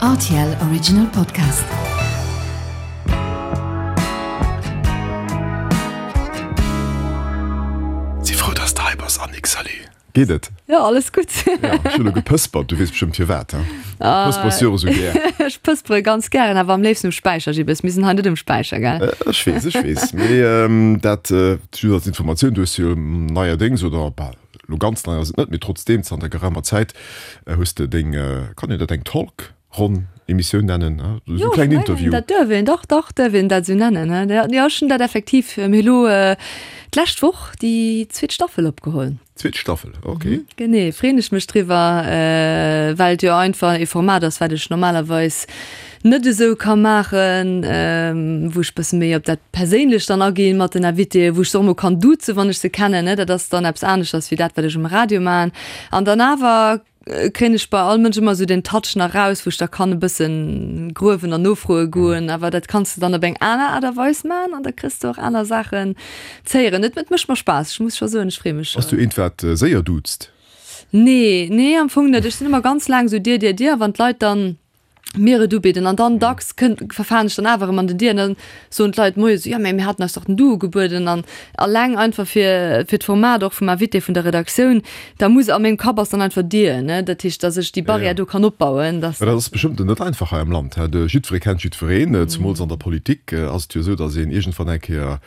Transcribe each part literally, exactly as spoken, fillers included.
R T L Original Podcast. Si frou, dass de hei bass, Annick. Salut. Geet et? Jo, alles gutt. Ja, ech hunn elo gepëspert, du weess bestëmmt firwat, he? Ah, Pëspers jo esou gär. Ech pëspere ganz gären, awer am léifsten um Späicher, Gibbes. Mir sinn hei net um Späicher, gell? Ech weess, ech weess. Mee dat just als Informatioun, du hues jo neierdéngs, oder bal elo ganz nei ass et net, mee trotzdeem zanter geraumer Zäit hues de deng, kann een dat eng Talk-Ronn, Emissioun nennen, ne? Esou Jo, e ech klengen mengen, Interview. dat duerf een, dach, dach, duerf een dat esou nennen, ne? Jo, jo, ech hunn dat effektiv, mir hu elo d'lescht Woch déi zweet Staffel opgeholl. Zweet Staffel, okay. Genee, freen ech mech driwwer, well et jo einfach ee Format ass, wat ech normalerweis net esou ka maachen, wou ech bësse méi op dat Perséinlecht dann aginn mat den Invitéen, wou ech se och emol kann duzen, wann ech se kennen, ne? Dat ass dann eppes aneschters wéi dat, wat ech um Radio maachen. An dann awer kréien ech bei all Mënsch ëmmer esou den Touch nach raus, wou ech da kann e bëssen gruewen an nofroe goen. Awer dat kanns de dann op eng aner Aart a Weis maachen an da kriss de och aner Saachen z'héieren. Et et mécht mer Spaass, ech muss scho soen, ech freeë mech. Bass du eent, wat séier duuzt? Nee, nee, am Fong net. Ech sinn ëmmer ganz laang esou dir, dir, dir a wann d'Leit dann mir et ubidden an dann dacks kënnt, verfalen ech dann awer erëm an den Dir an dann soen d'Leit moies, jo mä mir haten eis dach den Du ugebueden an alleng einfach fir fir d'Format och vum Invité vun der Redaktioun, da muss a mengem Kapp ass dann einfach Dir, ne, dat heescht, datt ech déi Barrière do kann opbauen, datt. Mä dat ass bestëmmt net einfach hei am Land, hä? De jiddweree kennt jiddwereen, zemools an der Politik ass et jo esou, datt een iergendwann eng Kéier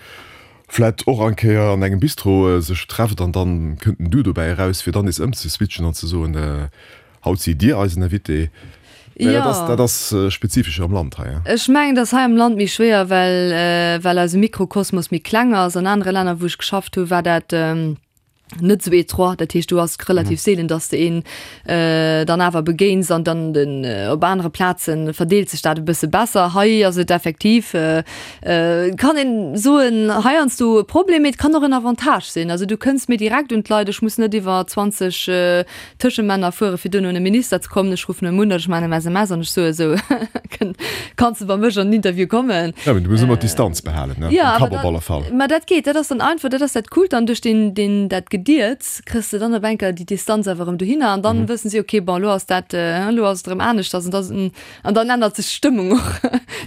vläit och eng Kéier an engem Bistro sech trefft an dann kënnt den Du dobäi eraus, fir dann nees ëmzeswitchen an ze soen, Haut sidd Dir eisen Invité. Mä dat ass, dat ass spezifesch am Land hei. Ech mengen, et ass hei am Land méi schwéier, well, well eise Mikrokosmos méi kleng ass. An anere Länner, wou ech geschafft hu, war dat net esou étroit. Dat heescht, do ass relativ seelen, datt s de een dann awer begéins an dann den, op anere Plaze verdeelt sech dat e bësse besser. Hei ass et effektiv, kann een soen, heiansdo e Problem, mee et kann och en Avantage sinn. Also du kënns méi direkt un d'Leit. Ech muss net iwwer zwanzeg Tëschemänner fuere fir duerno un e Minister ze kommen. Ech ruffen em un oder ech maachen em S M S an ech soe sou, Kanns de bei mech an den Interview kommen? Ja, mee du muss ëmmer d'Distanz behalen, ne? Ja, Am awer Kapp op dat, alle Fall. mä dat geet, dat ass dann einfach, dat ass dat Coolt dann, duerch deen, deen, dat Gedierts kriss de dann op eng Kéier déi Distanz awer erëm dohinner an dann wëssen si, okay, bon, elo ass dat, elo ass et erëm aneschters an da, an dann ännert sech d'Stëmmung och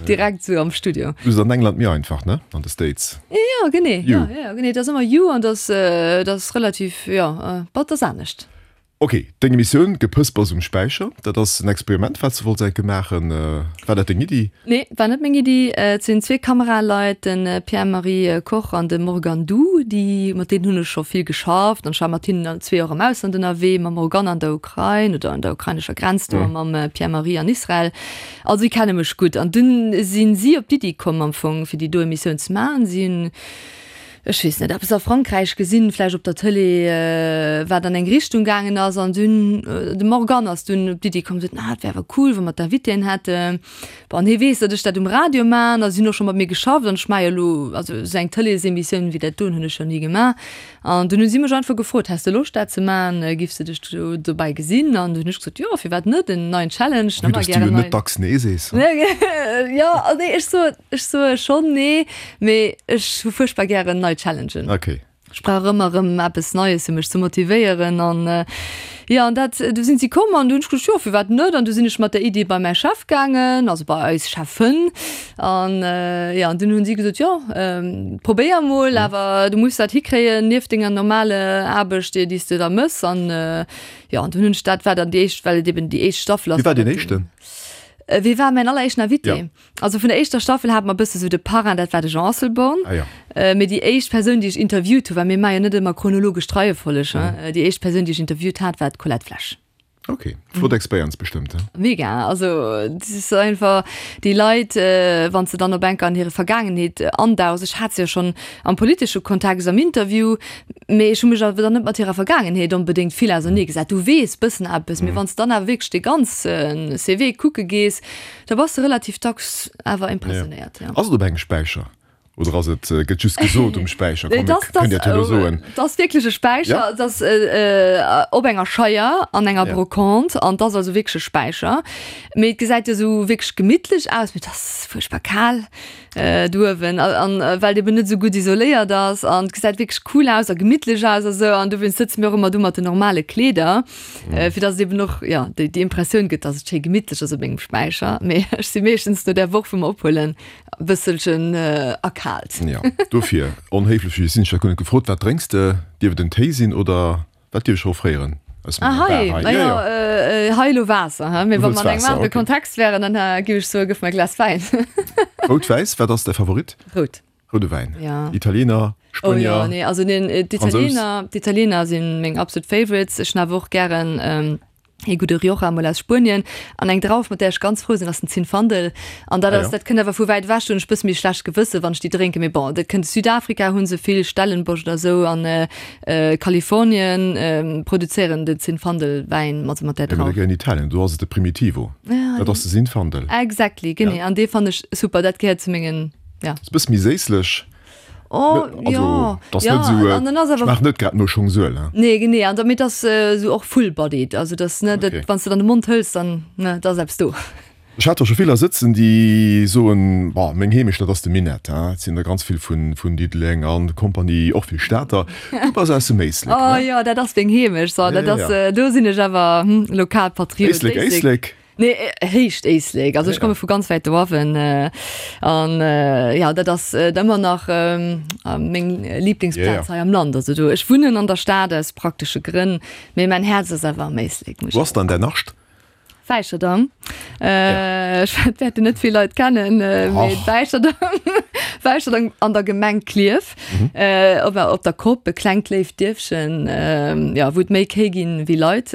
direkt sou am Studio. Du ass an England méi einfach, ne? An de States. Jo, genee, You. jo, jo, genee, et ass ëmmer you an dat ass, dat ass relativ, jo, bon, et ass anescht. Ok, deng Emissioun Gepëspers um Späicher, dat ass en Experiment, wat s de wollts enke maachen. War dat deng Iddi? Nee, war net meng Iddi. Et sinn zwee Kameraleit, de Pierre-Marie Koch an de Morgan Du, déi, mat deenen hunn ech scho vill geschafft an ech war mat hinnen allen zwee och am Ausland ënnerwee, mam Morgan an der Ukrain oder un der ukrainescher Grenz do a mam Pierre-Marie an Israel. Also déi kenne mech gutt. An dunn sinn si op d'Iddi komm am Fong, fir déi do Emissioun ze maachen. Si hunn ech weess net, eppes a Frankräich gesinn, vläicht op der Tëlee, wat an eng Richtung gaangen ass. An dunn, de Morgan ass dunn op d'Iddi komm, sot, ah, et wär awer cool, wa mer d'Invitéen hätten. Bon, an hie weess, datt ech dat um Radio maachen a si hunn och scho mat mir geschafft an ech maache jo elo, also esou eng Tëleesemissioun wéi dat doen hunn ech jo ni gemaach. An dunn hu si mech einfach gefrot, Häss de Loscht, dat ze maachen? Giffs de dech do dobäi gesinn? An dunn hunn ech gesot, Jo, firwat net, en neien Challenge, Vue ëmmer dass du gären jo nei. net dacks Nee sees. Jo, nee, ech soe, ech soe schonn Nee, mee ech hu fuerchtbar gären nei Challengen. Okay. Ech brauch ëmmer erëm eppes Neies, fir mech ze motivéieren. An jo, an dat, du sinn si komm an du hunn ech gesot, jo, firwat net? An du sinn ech mat der Iddi bei mäi Chef gaangen, also bei eis Cheffen. An jo, an dunn hunn si gesot, jo, probéier emol, awer du muss dat hikréien nieft denger normale Aarbecht, déi s de da mëss. An jo, an dunn hunn ech dat, war dann déi éischt, well et eben déi éischt Staffel ass. Wie war deen éischten? Wie war mäin alleréischten Invité? Ja. Also vun der éischter Staffel hate mer e bësse sou de Parrain, dat war de Jean Asselborn. Ah ja. Mee déi éischt Persoun, déi ech interviewt hu, well mir maache jo net ëmmer chronologesch d'Reiefolleg, hein, déi éischt Persoun, déi ech interviewt hat, war d'Colette Flesch. Ok, flott Expérience bestëmmt, hein? Mega, also dat ass einfach déi Leit, wann s de dann op enker an hire Vergaangenheet andauchs, ech hat se jo schonn am politesche Kontext am Interview, mee ech hu mech awer dann net mat hirer Vergaangenheet onbedéngt vill auserneegesat. Du weess bëssen eppes, mee wann s de dann awer wierklech dee ganze C V kucke gees, da bass de relativ dacks awer impressionéiert, jo. Ass et op engem Späicher? Oder ass et, gëtt just gesot um Späicher? Komm, mir kënnen dat jo elo soen. Dat ass wierklech e Späicher. Ja. Dat ass op enger Scheier an enger Ja. Brocante an dat ass also wierklech e Späicher. Mee et gesäit jo esou wierklech gemittlech aus, mee et ass fuerchtbar kal do uewen an well et eben net esou gutt isoléiert ass an et gesäit wierklech cool aus a gemittlech aus a sou an dowéinst sëtze mir och ëmmer do mat den normale Kleeder, fir dass et eben och, jo, déi déi Impressioun gëtt, dass et schéi gemittlech ass op engem Späicher. Mee ech si meeschtens no där Woch, wou mer ophuelen, e bësselchen erkaalt. Jo, dofir, onhéiflech wéi ech sinn, ech hat guer net gefrot, wat drénks de? Dierf et en Téi sinn oder wat dierf ech offréieren aus Ah, menger hei, Bar hei? na Jo, jo, jo. hei elo Waasser, he? Mee Du wa wëlls mer an engem Waasser, anere okay. Kontext wären, dann géif ech soen, gëff mer e Glas Wäin. Rout, wäiss, wat ass däi Favorit? Rout. Roude Wäin. Ja. Italiener, Oh jo, Spuenier, nee, also den, Fransous? d'Italiener, d'Italiener si meng absolut Favorites. Ech hunn awer och gären ee gudde Rioja mol aus Spuenien an eng Drauf, mat där ech ganz frou sinn, ass den Zinfandel. An dat Ah ass, jo. dat kënnt awer vu wäit ewech, do hunn ech e bësse méi schlecht Gewësse wann ech déi drénken, mee bon, dat kënnt Südafrika hu se vill, Stellenbosch oder esou an Kalifornien produzéieren den Zinfandel Wäin mat mat där Ja, mee Drauf. da geh an Italien, do ass et de Primitivo. Ja, Dat ass de Zinfandel. Exactly, genee. Ja. An dee fannen ech super, dat gehéiert zu mengen, ja. Ass e bësse méi séisslech. Oh, Also, ja, das ja, net so, an dann ass awer schmaacht net grad no Schongsuel, ne? Nee, genee, an damit ass esou och full-bodied, also das, ne, dat, Okay. wann s de dann de Mond hëls, dann, ne, da ass eppes do. Ech hat der scho vill sëtzen, déi soen, Boah, meng Heemecht, dat ass de Minett, hein. Et sinn der ganz vill vun, vun Diddeleng an Kompanie, och vill Stater. Du bass aus dem Éislek, Oh ne? jo, dat ass meng Heemecht, so, Ja, dat ja, ass, ja. do sinn ech awer, hm, Lokalpatriot. Éislek, Éislek? Nee, Héicht Éislek. Also ech komme vu ganz wäit doawen an jo, dat ass ëmmer nach meng Liblingsplaz hei am Land. Also do, ech wunnen an der Stad aus praktesche Grënn, mee mäin Häerz ass awer am Éislek, muss Wou ass dann däin Nascht? Wäicherdang. Ech wäerten net vill Leit kennen, mee Wäicherdang, Wäicherdang an der Gemeng Klierf, op op der Kopp, e klengt léift Dierfchen, jo, wou et méi Kéi ginn wéi Leit.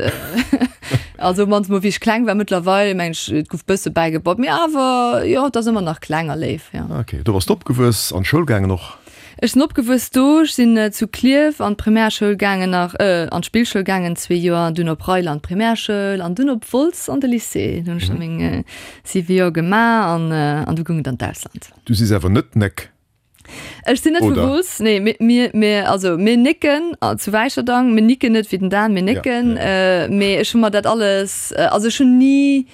Also op mannst mol wéi ech kleng war, mëttlerweil mengen ech et gouf bësse bäigebaut, mee awer jo et ass ëmmer nach kleng a léif, jo. Ok, do bass de opgewuess, an d'Schoul gaangen och? Ech sinn opgewuess do, ech sinn zu Klierf an d'Primärschoul gaangen nach, an d'Spillschoul gaangen zwee Joer, dunn op Reiler an d'Primärschoul an dunn op Wolz an de Lycée. Do hunn ech da meng siwe Joer gemaach an an du goung et an d'Ausland. Du sis awer net Néck? Ech sinn net vu Wolz, nee. Mir, mir, mir, also mir nécken zu Wäicherdang, mir nicken net wéi den Dan, mir nécken. Ja, ja. Mee ech hu mer dat alles, also ech hunn ni,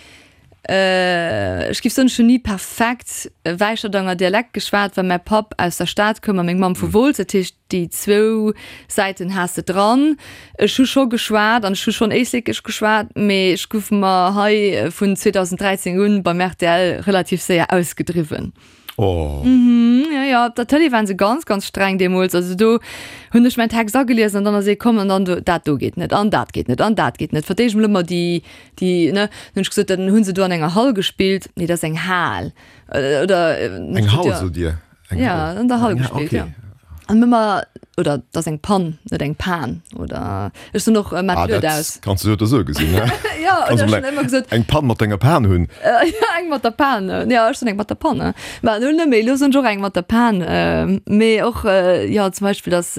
ech géif soen, ech hunn ni perfekt Wäicherdanger Dialekt geschwat, well mäi Papp aus der Stad koum a meng Mamm vu Wolz. Dat heescht, déi zwou Säiten has de dran. Ech hu scho geschwat an ech hu schonn Éislekesch geschwat, mee ech gouf mer hei vun zweedausend dräizéng un beim R T L relativ séier ausgedriwwen. Oh. Mhm, ja, ja, op der Tëlee waren se ganz, ganz streng deemools. Also do hunn ech mäin Text ageliesen an dann ass ee komm an dann do, dat do geet net an dat geet net an dat geet net. Fir d'éischt mol ëmmer déi, déi, ne, dann hunn ech gesot, dann hunn se do an enger Hall gespillt. Nee, dat ass eng Hal. Oder, Eng Hall, sot Dir? Eng ja, an der Hall gespillt, okay. ja. An ëmmer, oder dat ass eng Pann, net eng Pan. Oder ech soen och, mat ah, blöd dat aus. Kanns du esou oder esou gesinn, ne? Ja, Kanns oder du ech hunn ëmmer gesot. Eng Pann mat enger Pan hunn. Ja, eng mat der Pan. Ja, ech soen eng mat der Pann. Mä elo net méi, elo soen ech och eng mat der Pan. Mee och, jo, zum Beispill, dass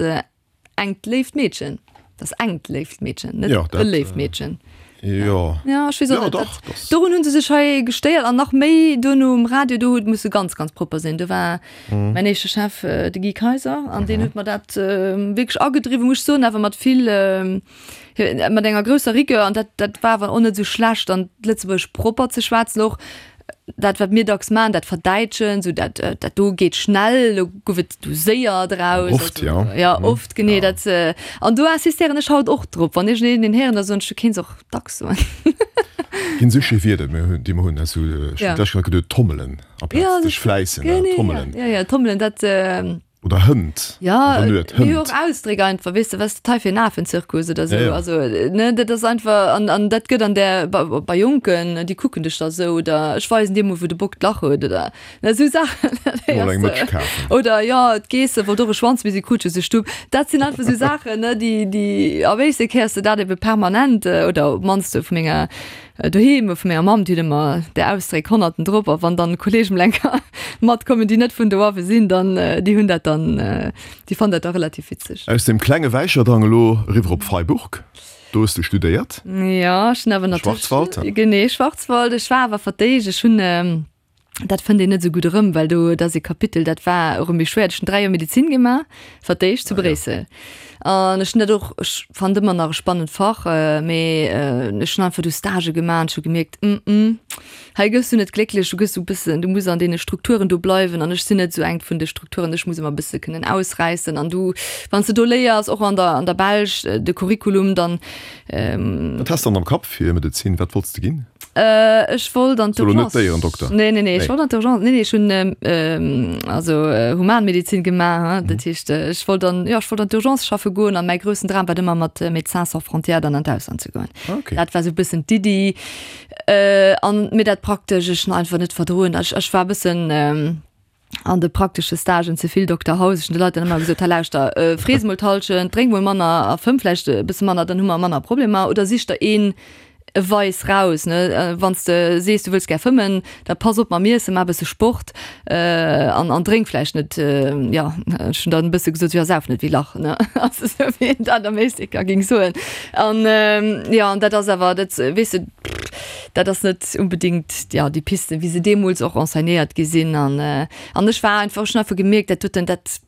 engt léift Meedchen, dat ass engt léift Meedchen, net Ja, e dat, léift Meedchen. Jo. Ja, ech weess och Ja, net, dach, dat, das. dorun hunn se sech hei gestéiert an nach méi duerno um Radio, do huet musse ganz, ganz propper sinn. Do war mäin éischte Chef de Guy Kaiser an deen huet mer dat wierklech agedriwwen, muss ech soen, awer mat vill, mat enger grousser Rigueur an dat, dat war awer och net esou schlecht an Lëtzebuergesch propper ze schwätzen och. Dat wat mir dacks maachen, dat Verdäitschen, sou dat, dat do geet schnell, do gouf et du séier draus. Oft, ja. Ja, oft, genee, dat, an do insistéieren ech haut och drop, wann iergendeen een héieren, da soen ech, du kéints och dacks soen. Ginn esou schéi Wierder, mir hunn, déi mer hunn, also ech hunn Ja. d'lescht Kéier geduet, tommelen amplaz Ja, sech fläissen, genee, ja, tommelen. ja, ja, tommelen, dat, Oder Hënt. Ja, Oder net, mir hu Hënt. och Ausdréck einfach, weess de, was dat hei fir en Afenzirkus oder sou. Ja, ja. Also, ne, dat ass einfach, an, an dat gëtt an der, bei, bei Jonken, déi kucken dech da sou, oder ech weisen dir mol, wou de Bock d'Lach huet, oder, ne, sou Saachen. Dat Mol héiers eng de. Mëtsch kafen. Oder, jo, d'Geesse wollt och e Schwanz, mee si krut just e Stupp. Dat sinn einfach sou Saachen, ne, déi, déi, a wéisst de, héiers de dat ebe permanent, oder op d'mannst vu menger, Doheem vu menger Mamm, déi huet ëmmer där Ausdréck honnerten drop, a wann dann Kolleegen mol eng Kéier matkommen, déi net vun doawe sinn, dann déi hunn dat dann, déi fannen dat da relativ witzeg. Aus dem klenge Wäicherdang elo eriwwer op Freiburg, do hues de studéiert. Jo, ech hunn awer natierlech. Schwarzwald, he? Genee, Schwarzwald. Ech war awer verdéicht, ech hunn Dat fënnt een net esou gutt erëm, well do, dat ass e Kapitel, dat war erëm méi schwéier. Ech hunn dräi Joer Medezin gemaach, fir d'éischt zu Bréissel. An ech hunn dat och, ech fannen ëmmer nach e spannend Fach, mee ech hunn einfach do Stagë gemaach an ech hu gemierkt, mm mm, hei gëss du net glécklech, du gëss esou e bëssen, du muss an deene Strukturen do bleiwen an ech sinn net esou eng vun de Strukturen, ech muss ëmmer e bësse kënnen ausräissen. An du, wann s de do léiers, och an der, an der Belsch, de Curriculum, dann. Wat has de dann am Kapp fir Medezin, wat wollts de ginn? Ech wollt an Soll net Déierendokter? Nee, nee, nee, ech wollt an d'Urgence. Nee, nee, ech hunn ähm, also Humanmedizin gemaach, hm, dat heescht ech wollt an, jo, ech wollt an d'Urgence schaffe goen an mäi groussen Dram war ëmmer mat Médecins sans frontières dann an d'Ausland ze goen. Okay. Dat war sou e bëssen d'Iddi. Äh, an mee dat Praktesch, ech hunn einfach net verdroen. Ech, ech war e bëssen ähm, an de praktesche Stagen ze vill Dokter House. Ech hunn de Leit dann ëmmer gesot, hei lauschter, frees mol d'Hallschent, drénk mol manner a fëmm vläicht e bësse manner, dann hu mer manner Problemer. Oder sich der een e Vice raus, ne? Wann s de sees, du wëlls gär fëmmen, da pass op mam Iessen, maach e bësse Sport an an drénk vläicht net, jo, ech hunn dann e bësse gesot, jo, sauf net wéi Lach, ne? Also esou wéi een dat am Éislek géing soen. An jo, an dat ass awer, dat weess de, dat ass net unbedingt, jo, déi Pisten, wéi se deemools och enseignéiert gi sinn. An an ech war einfach, ech hunn einfach gemierkt, dat doten, dat,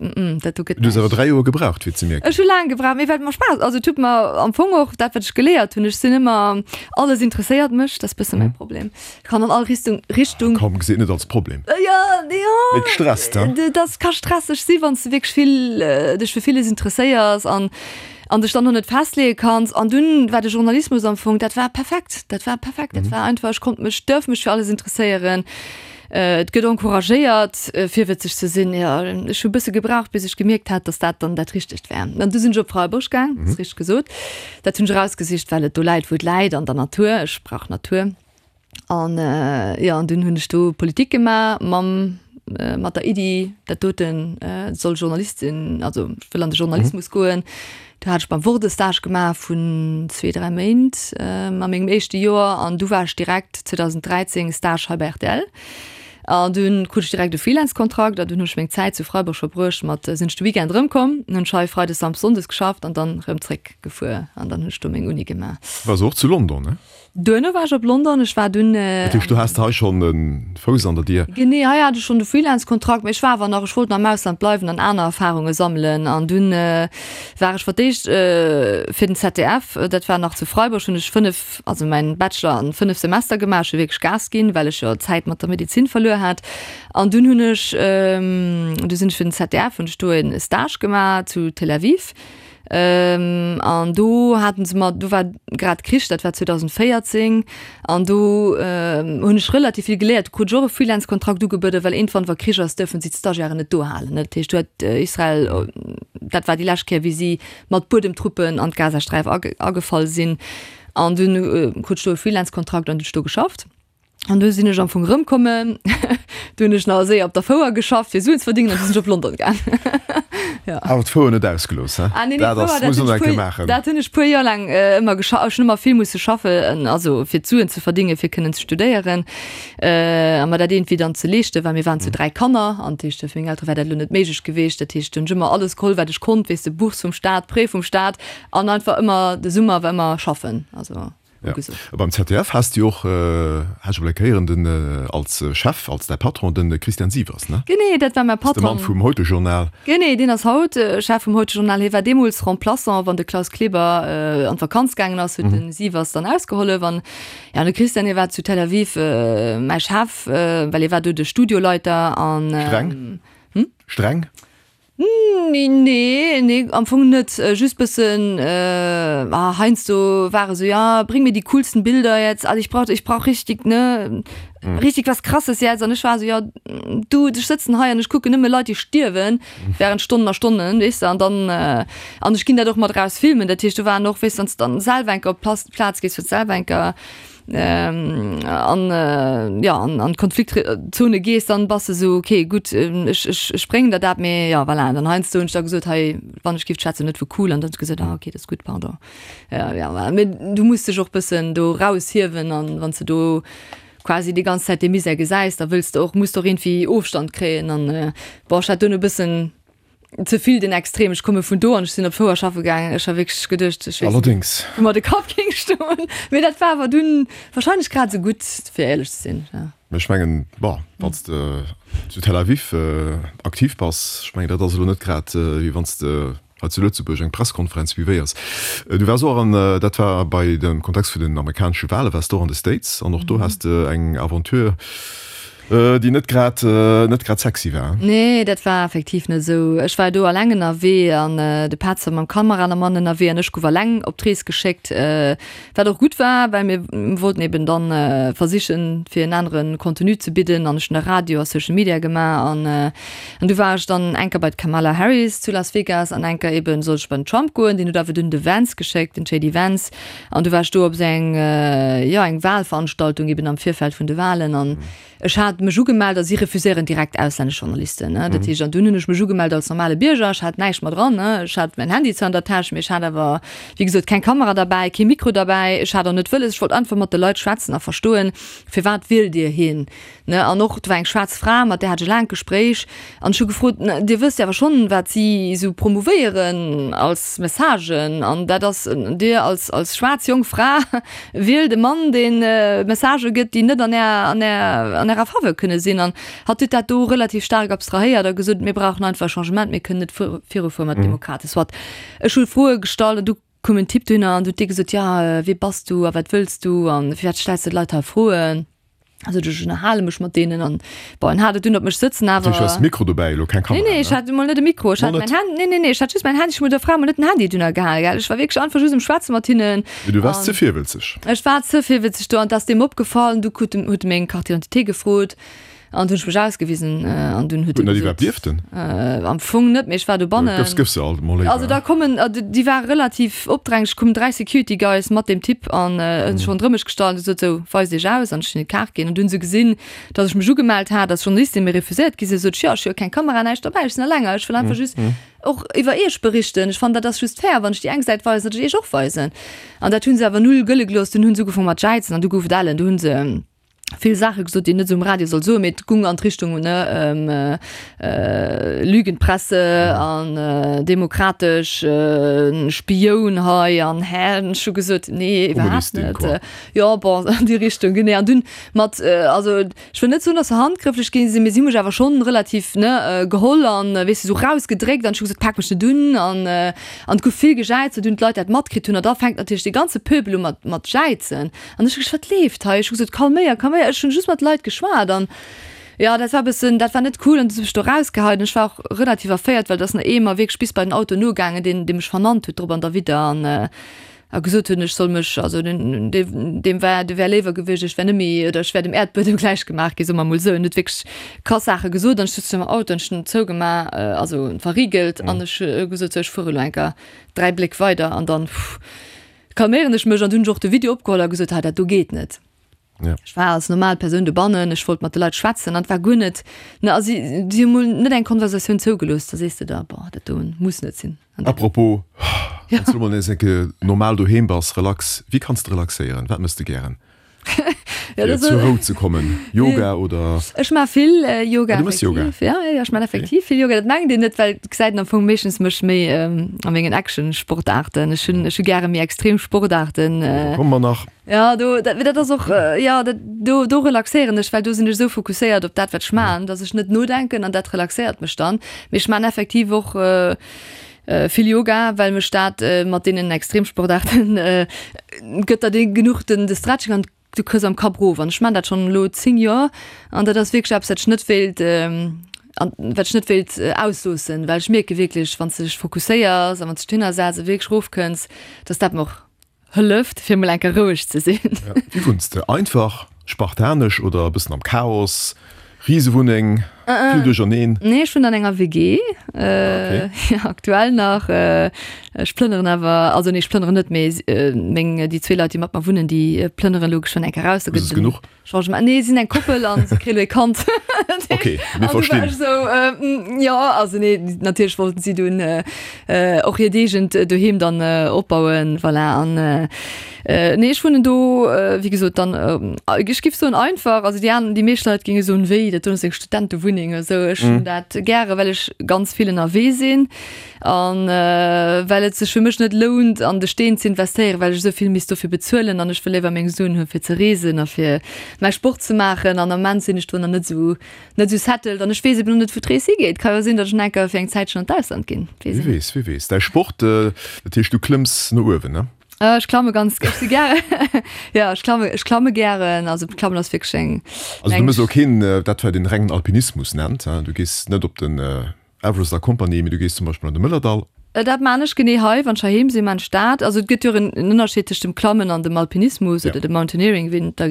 dat do gëtt Du hues awer dräi Joer gebraucht, fir et ze mierken. Ech hu laang gebraucht, mee well et mer Spaass, also et huet mer am Fong och dat, wat ech geléiert hunn, ech sinn ëmmer, alles interesséiert mech, dat ass bësse mäi Problem, ech kann an all Richtung, Richtung. Komm, gesi et net als Problem. Jo, jo. Mee et stresst, he? Dat ka stresseg si wann s de wierklech vill, dech fir villes interesséiers an an dech dann och net festleeë kanns. An dunn war de Journalismus am Fong, dat war perfekt, dat war perfekt, dat war einfach, ech konnt mech, duerf mech fir alles interesséieren, et gëtt encouragéiert virwëtzeg ze sinn. Jo, ech hu e bësse gebraucht, bis ech gemierkt hat, datt dat dann dat Richtegt war. An du sinn ech op Freiburg gaang, ass richteg gesot. Dat hunn ech erausgesicht, well et do läit, wou et läit, an der Natur. Ech brauch Natur. An jo, an dunn hunn ech do Politik gemaach mam, mat der Iddi, dat doten soll Journalistin, also ech wëll an de Journalismus goen. Do hat ech beim Wort e Stage gemaach vun zwee, dräi Méint a mengem éischte Joer an du war ech direkt zweedausenddräizéng Stage hei bei rtl. An dunn krut ech direkt e Freelance-Kontrakt an dunn hunn ech meng Zäit zu Freiburg verbruecht mat, sinn ech de Weekend erëmkomm, hunn ech hei Freides, Samsdes, Sonndes geschafft an dann erëm zréck gefuer an dann hunn ech do meng Uni gemaach. Waars och zu London, ne? Duerno war ech op London, ech war dunn. Dat heescht, do has de hei schonn e Fouss an der Dier? Genee, hei hat ech schonn de Freelance-Kontrakt, mee ech war awer nach, ech wollt nach am Ausland bleiwen an aner Erfarunge sammelen. An dunn war ech fir d'éischt fir den Z D F, dat war nach zu Freiburg, hunn ech fënnef, also mäin Bachelor an fënnef Semester gemaach. Ech hu wierklech Gas ginn, well ech jo Zäit mat der Medezin verluer hat. An dunn hunn ech, du sinn ech fir den Z D F, hunn ech do e Stage gemaach zu Tel Aviv. An do haten se mer, do war grad Krich, dat war zweedausenvéierzéng, an do hunn ech relativ vill geléiert. Do krut ech och e Freelance-Kontrakt ugebueden, well iergendwann, wa Krich ass, duerfen si d'Stagiairen net do halen. Dat heescht, do huet Israel, dat war déi lescht Kéier, wéi si mat Buedemtruppen an d'Gazasträif agefall sinn. An dunn krut ech do e Freelance-Kontrakt an hunn ech do geschafft. An du sinn ech am Fong erëmkommen, du hunn ech nach séier op der Fouer geschafft, fir Suen ze verdingen, an du sinn ech op London gaang. Ja. Awer d'Fouer net ausgelooss, he? Ah, nee, nee, Dat ass, d'Fouer, dat muss hunn een ech eng Kéier puer, maachen. dat hunn ech puer Joer laang ëmmer gescha-, ech hunn ëmmer vill musse schaffen, also fir d'Suen ze verdingen, fir kënnen ze studéieren, a mer dat iergendwéi dann ze leeschten, well mir waren zu dräi Kanner, an dat heescht, fir meng Eltere war dat elo net méiglech geweecht. Dat heescht, hunn ech ëmmer alles geholl, wat ech konnt, weess de, Bourse vum Staat, Prêt vum Staat, an einfach ëmmer, de Summer war ëmmer schaffen, also. Ja. Beim Z D F has de och, hat ech emol eng Kéier héieren, den als Chef, als däi Patron, de Christian Sievers, ne? Genee, dat war mäi Ass de Mann Patron. Vum Heute-Journal. Genee, deen ass haut Chef vum Heute-Journal. Hie war deemools Remplaçant, wann de Klaus Kleber an d'Vakanz gaangen ass, huet de Sievers dann ausgehollef. An ja, de Christian, hie war zu Tel Aviv mäi Chef, well hie war do de Studioleiter an. Streng? Streng? Nee, nee, am Fong net. Just bëssen, ah, heiansdo war e sou, ja, bring mir die coolsten Bilder jetzt, also ich brauch, ich brauch richtig, ne, richtig was Krasses jetzt. An ech war sou, ja, du, ech sëtzen hei an ech kucken nëmme Leit, déi stierwen, während Stonnen a Stonnen, weess de, an dann, an ech ginn dat och mat eraus filmen. Dat heescht, do waren och, weess de, wann s de dann selwer eng Kéier op d'Plaz gees, fir selwer eng Kéier an ja an an Konfliktzone gees, dann bass de sou okay gutt, ech ech ech bréngen der dat, mee ja voilà. Dann heiansdo hunn ech da gesot, hei wann ech giff schwätzen net vu cool, an dann huet se gesot, ah okay, dat ass gutt, pardon. Ja ja voilà, mee du muss dech och bëssen do raushiewen an wann s de do quasi déi ganz Zäit dee Misär gesäis, da wëlls de och, muss de och iergendwéi Ofstand kréien an bon, ech hat dunn e bëssen ze vill den Extrem. Ech komme vun do an ech sinn op d'Fouer schaffe gaangen. Ech ha wierklech geduecht, ech weess net, Allerdéngs. wou mer de Kapp géing stoen. Mee dat war awer dunn wahrscheinlech grad esou gutt, fir éierlech ze sinn, ja. Mee ech mengen, bon, wann s de zu Tel Aviv aktiv bass, ech mengen, dat ass elo net grad wéi wann s de hei zu Lëtzebuerg eng Presskonferenz suivéiers. Du waars och an, dat war bei dem Kontext vun den amerikanesche Wale, waars de och an de States an och do has de eng Aventure, déi net grad, net grad sexy war. Nee, dat war effektiv net esou. Ech war do alleng ënnerwee an de Petz war mam Kameramann ënnerwee an ech gouf alleng op d'Rees geschéckt, wat och gutt war, well mir wollten eben dann versichen, fir en anere Contenu ze bidden an ech hunn da Radio a Social Media gemaach an an du war ech dann eng Kéier bei d'Kamala Harris zu Las Vegas an eng Kéier eben sollt ech bei den Trump goen, deen huet awer dunn de Vance geschéckt, den J D Vance an du war ech do op esou eng, jo, eng Wahlveranstaltung eben am Virfeld vun de Wahlen an ech hat mech ugemellt a si refuséieren direkt auslännesch Journalisten, ne, dat heescht an dunn hunn ech mech ugemellt als normale Bierger, ech hat näischt mat dran, ne, ech hat mäin Handy zwar an der Täsch, mee ech hat awer wéi gesot keng Kamera derbäi, kee Mikro derbäi, ech hat och net wëlles, ech wollt einfach mat de Leit schwätzen a verstoen, firwat wielt Dir hien, ne, an och do war eng schwaarz Fra, mat där hat ech e laangt Gespréich an ech hu gefrot, ne, Dir wësst jo awer schonn, wat si esou promouvéieren als Messagen an dat ass, Dir als als schwaarz jonk Fra wielt e Mann, dee Messagë gëtt, déi net an Är an Är an Ärer Faveur kënne sinn. An hatt huet dat do relativ staark abstrahéiert a gesot, Mir brauchen einfach e Changement, mir kënnen net virufuere mat Demokraten. Soit, ech hu Froe gestallt an du koum en Typ dohinner an huet dee gesot, Jo, wie bass du a wat wëlls du a firwat stells de d'Leit hei Froen? Also ech ënnerhale mech mat deenen an bon, en hat et dunn op mech sëtzen, awer. Du has Mikro dobäi, elo keng Kamera? Nee, nee, ech hat emol net e Mikro, ech hat mäin Handy, nee, nee, nee, ech hat just mäin Handy, ech hu der Fra emol net den Handy dunner gehale, gell, ech war wierklech einfach just um Schwätze mat hinnen. Mee du waars ze virwëlzeg. Ech war ze virwëlzeg do an 't ass deem opgefall an du krut en, huet e meng Carte d'identité gefrot an du hunn ech mech ausgewisen an dunn huet e gesot. Huet en dat iwwerhaapt dierften? Am Fong net, mee ech war dobannen. Gëffs, gëffs se alt emol léiwer. Also da kommen, déi ware relativ opdränglech, koumen dräi Security Guys mat deem Typ an hunn sech ronderëm mech gestallt an gesot, sou, weist iech aus an ech hunn hinnen d'Kaart ginn an du hunn se gesinn, datt ech mech ugemellt hat als Journalistin, mee refuséiert gi sinn. Sot ech, jo, ech hu jo keng Kamera, näischt derbäi, ech sinn alleng hei, ech wëll einfach just och iwwer iech berichten. Ech fannen, dat ass just fair, wann ech déi eng Säit weisen, datt ech iech och weisen. An dat hu se awer null gëlle gelooss. Dunn hu se ugefaangen mat jäizen an du gouf et ellen. Du hu se vill Saache gesot, déi een net esou um Radio soll soen, mee et gung an d'Richtung, ne, Lügenpresse an demokratesch Spioun hei an hä. An ech hu gesot, nee, iwwerhaapt net. Jo, bon, an déi Richtung, genee. An dunn mat, also ech wëll net soen, datt se handgrëfflech gi sinn, mee si hu mech awer schonn relativ, ne, geholl an, weess de, esou rausgedréckt an ech hu gesot, pak mech net un an an et gouf vill gejäizt, wou dunn d'Leit dat matkritt hunn an da fänkt natierlech dee ganze Pöbel u mat mat jäizen. An ech hu gesot, wat leeft hei? Ech hu gesot, kalméier, kalméier, ech hunn just mat Leit geschwat an jo, dat war e bëssen, dat war net cool an du hu mech do rausgeheit an ech war och relativ erféiert, well et ass nach ee mer wierklech bis bei den Auto nogaangen, deen, dee mech vernannt huet drop an derwidder an a gesot hunn, ech soll mech, also den, deem war, dee wär léiwer gewiescht, ech wär net méi oder ech wär dem Äerdbuedem gläich gemaach ginn, soe mer emol esou. En huet wierklech krass Saache gesot an ech sutz am Auto an ech hunn en zougemaach, also verriegelt an ech hu gesot, sou, ech fuere elo eng Kéier dräi Bléck weider an dann kalméieren ech mech an du hunn ech och de Video opgeholl a gesot, hei dat do geet net. Ja. Ech war als normal Persoun dobannen, ech wollt mat de Leit schwätzen an et war guer net, ne, a si si hu mol net eng Konversatioun zougelooss, da sees de der, boah, dat do muss net sinn. An dat. Apropos, wann s du mol nees eng Kéier normal doheem bass, relax, wéi kanns de relaxéieren? Wat méchs de gären? Ja, fir zur Rou ze kommen? Yoga oder? Ech maache vill Yoga. Ah, du méchs Yoga? Ja, ja, ech maachen effektiv vill Yoga. Dat mengt een net, well et gesäit een am Fong meeschtens mech méi a mengen Action-Sportaarten. Ech hunn, ech hu gäre méi extrem Sportaarten. Do komme mer nach. Ja, do, dat, dat ass och, jo, dat, do, do relaxéieren ech, well do sinn ech esou fokusséiert op dat, wat ech maachen, datt ech net nodenken an dat relaxéiert mech dann. Mee ech maachen effektiv och vill Yoga, well mech dat mat deenen Extremsportaarten gëtt der dee genuch den de Stretching an du kriss am Kapp erof. An ech maan dat schonn elo zéng Joer an dat ass wierklech eppes, wat ech net wéilt an wat ech net wéilt ausloossen, well ech mierke wierklech, wann s de dech fokusséiers a wann s de dech dohinner setz a wierklech erofkënns, dass dat mer och hëlleft, fir emol eng Kéier roueg ze sinn. Wéi wunns de? Einfach, spartanesch oder e bëssen am Chaos? Risewunneng, vill Duercherneen? Nee, ech wunnen an enger W G, jo, aktuell nach. Ech plënneren awer, also nee, ech plënneren net, mee meng, déi zwee Leit, déi mat mer wunnen, déi plënneren elo geschwënn eng Kéier raus. Da gëtt et genuch. Changement. Nee, si sinn eng Koppel an se kréie lo ee Kand. Ok, mir verstinn. An du war ech esou, jo, also nee, natierlech wollten si dunn och hiert eegent Doheem dann opbauen, voilà. An nee, ech wunnen do, wéi gesot, dann, ech géif soen einfach, also déi aner, déi meescht Leit géinge soen, wéi, dat do ass eng Studentewunneng. Wunneng esou. Ech hunn dat gäre well ech ganz vill ënnerwee sinn an well et sech fir mech net lount an de Steen ze investéieren, well ech esou vill misst dofir bezuelen an ech wëll léiwer meng Suen hu fir ze reesen a fir mäi Sport ze maachen an am Ament sinn ech do nach net esou net esou settled an ech weess eben och net wou d'Rees higeet. Ka jo sinn, datt ech nach eng Kéier fir eng Zäitchen an d'Ausland ginn, weess een net. Wie weess, wie weess. Däi Sport, dat heescht du klëmms no uewen, ne? Ech klamme ganz, ech si gäre, jo, ech klamme, ech klamme gären. Also klammen ass wierklech eng. Also du méchs och keen, dat wat een rengen Alpinismus nennt, du gees net op den Everest a Compagnie, mee du gees zum Beispill an de Mëllerdall. Dat maan ech genee hei, wann ech heiheem sinn, maan ech dat. Also et gëtt jo och en Ënnerscheed tëscht dem Klammen an dem Alpinismus oder dem Mountaineering, wéi een et da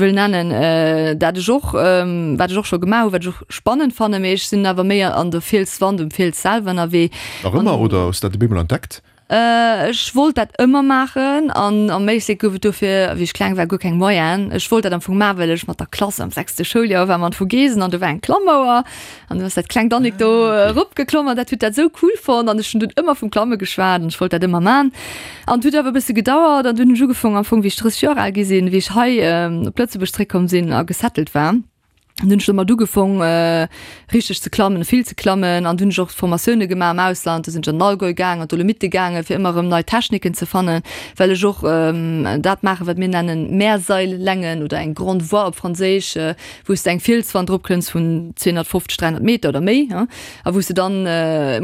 wëll nennen. Dat ech och, wat ech och scho gemaach hu, wat ech och spannend fannen, mee ech sinn awer méi an der Fielswand, um Fiels selwer ënnerwee. Nach ëmmer oder hues du dat op eemol entdeckt? Ech wollt dat ëmmer maachen an am Éislek gouf et dofir, wéi ech kleng war, guer keng Moyenen. Ech wollt dat am Fong maachen, well ech mat der Klass am sechste Schouljoer war mer an d'Vogesen an do war eng Klammauer an du ass dat klengt Annick do eropgeklomm an dat huet dat esou cool fonnt an ech hunn dunn ëmmer vum Klamme geschwat an ech wollt dat ëmmer man. An et huet awer e bësse gedauert an dunn hunn ech ugefoung am Fong wéi ech drësseg Joer al gi sinn, wéi ech hei op Lëtzebuerg zréckkomm sinn a gesettelt war. An dunn hunn ech domat ugefong richteg ze klammen, vill ze klammen an dunn hunn ech och Formatioune gemaach am Ausland. Do sinn ech an den Allgäu gaang, an d'Dolomitte gaangen, fir ëmmer erëm nei Techniken ze fannen, well ech och dat maachen, wat mir nennen Mehrseillängen oder eng Grande Voie op Franséisch, wou s de eng Fielswand eropklëmms vun zweehonnertfofzeg, dräihonnert Meter oder méi a wou s de dann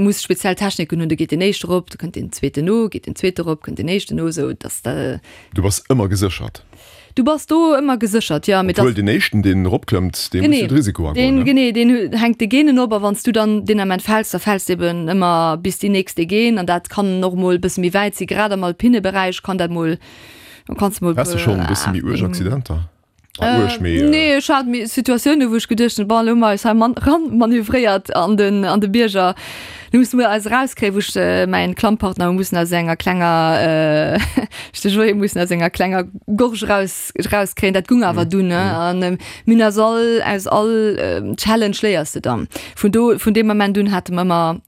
muss speziell Techniken hunn. Do geet deen éischte erop, da kënnt deen zweeten no, geet deen zweete erop, kënnt deen éischten no, esou dass de. Du bass ëmmer geséchert. Du bass do ëmmer geséchert, jo. Mee Obwuel deen éischten, deen eropklëmmt, dee muss jo de Risiko agoen, ne? Genee, deen hänkt de Geenen op. A wann s du dann deen Ament fäls, da fäls de eben ëmmer bis déi nächst déi geen. An dat kann och mol e bësse méi wäit sinn. Grad am alpine Beräich kann dat mol, kanns de mol. Has de schonn e bësse méi uerg Accidenter? Ah, uerg, mee. Nee, ech hat méi Situatiounen, wou ech geduecht hunn, bon, elo hu mer eis hei man, ranmanövréiert an den, an de Bierger. Lo musse mer eis erauskréien, wou ech mäin Klammpartner hu mussen aus enger klenger, ech de Joé mussen aus enger klenger Gorge eraus, erauskréien. Dat gung awer dunn, ne. An mir hunn aus all, aus all Challenge léiers de dann. Vun do, vun deem Ament un hate mer ëmmer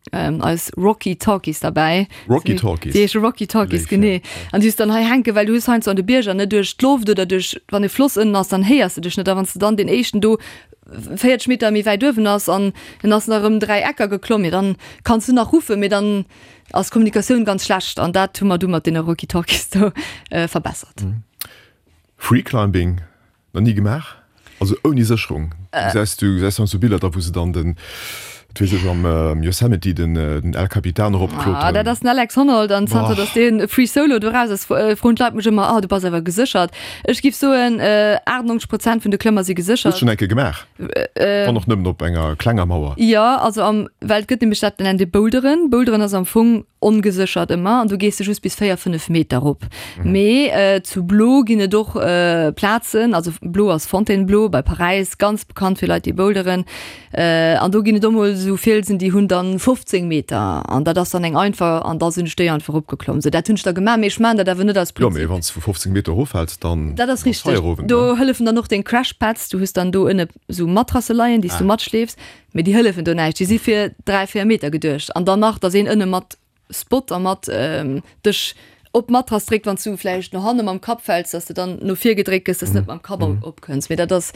eis Rocky Talkies derbäi. Rocky Talkies? Déi heesche Rocky Talkies, genee. An déi hues de dann hei hänken, well du hues heiansdo an de Bierger, ne, duerch d'Loft oder duerch, wann e Floss ënnen ass, dann héiers de dech net. A wann s de dann deen éischten do véierzeg Meter méi wäit uewen ass an en ass nach ëm dräi Ecker geklomm, jo dann kanns du nach ruffen, mee dann ass d'Kommunikatioun ganz schlecht an dat hu mer du mat deene Walkie-Talkies do verbessert. Freeclimbing nach ni gemaach? Also ouni Sécherung? Du gesäis, du gesäis heiansdo Biller da wou se dann den, wat weess ech, am Yosemite den den El Capitan eropkloteren. Ah, dat ass den Alex Honnold an zanter datt dee Free Solo do raus ass, froen d'Leit mech ëmmer, ah du bass awer geséchert. Ech giff soen, achtundneunzeg Prozent vun de Klëmmer si geséchert. Hues schonn eng Kéier gemaach? Wann och nëmmen op enger klenger Mauer. Jo, also am, well et gëtt nämlech dat nennt ee Boulderen. Boulderen ass am Fong ongeséchert ëmmer an do gees de just bis véier, fënnef Meter erop. Mee zu Blo ginn et och Plazen, also Blo ass Fontainebleau bei Paräis, ganz bekannt fir Leit déi boulderen, an do ginn et och mol esou Fielsen, déi hunn dann fofzéng Meter an dat ass dann eng einfach an da sinn ech déi einfach eropgeklomm. Sou dat hunn ech da gemaach, mee ech maachen dat awer net aus Prinzip. Jo, mee wann s de vu fofzéng Meter eroffäls, dann Dat ass richteg. Do hëllefen dann och deng Crashpads, du hues dann do ënne sou Matrasse leien, déi s du matschleefs, mee déi hëllefen do näischt, déi si fir dräi, véier Meter geduecht an dann nach, dass een ënne mat Spot a mat dech op d'Matrass dréckt, wann s du vläicht no hanne mam Kapp fäls, dass de dann no vir gedréckt gëss, dass de net mam Kapp opkënns. Mee dat ass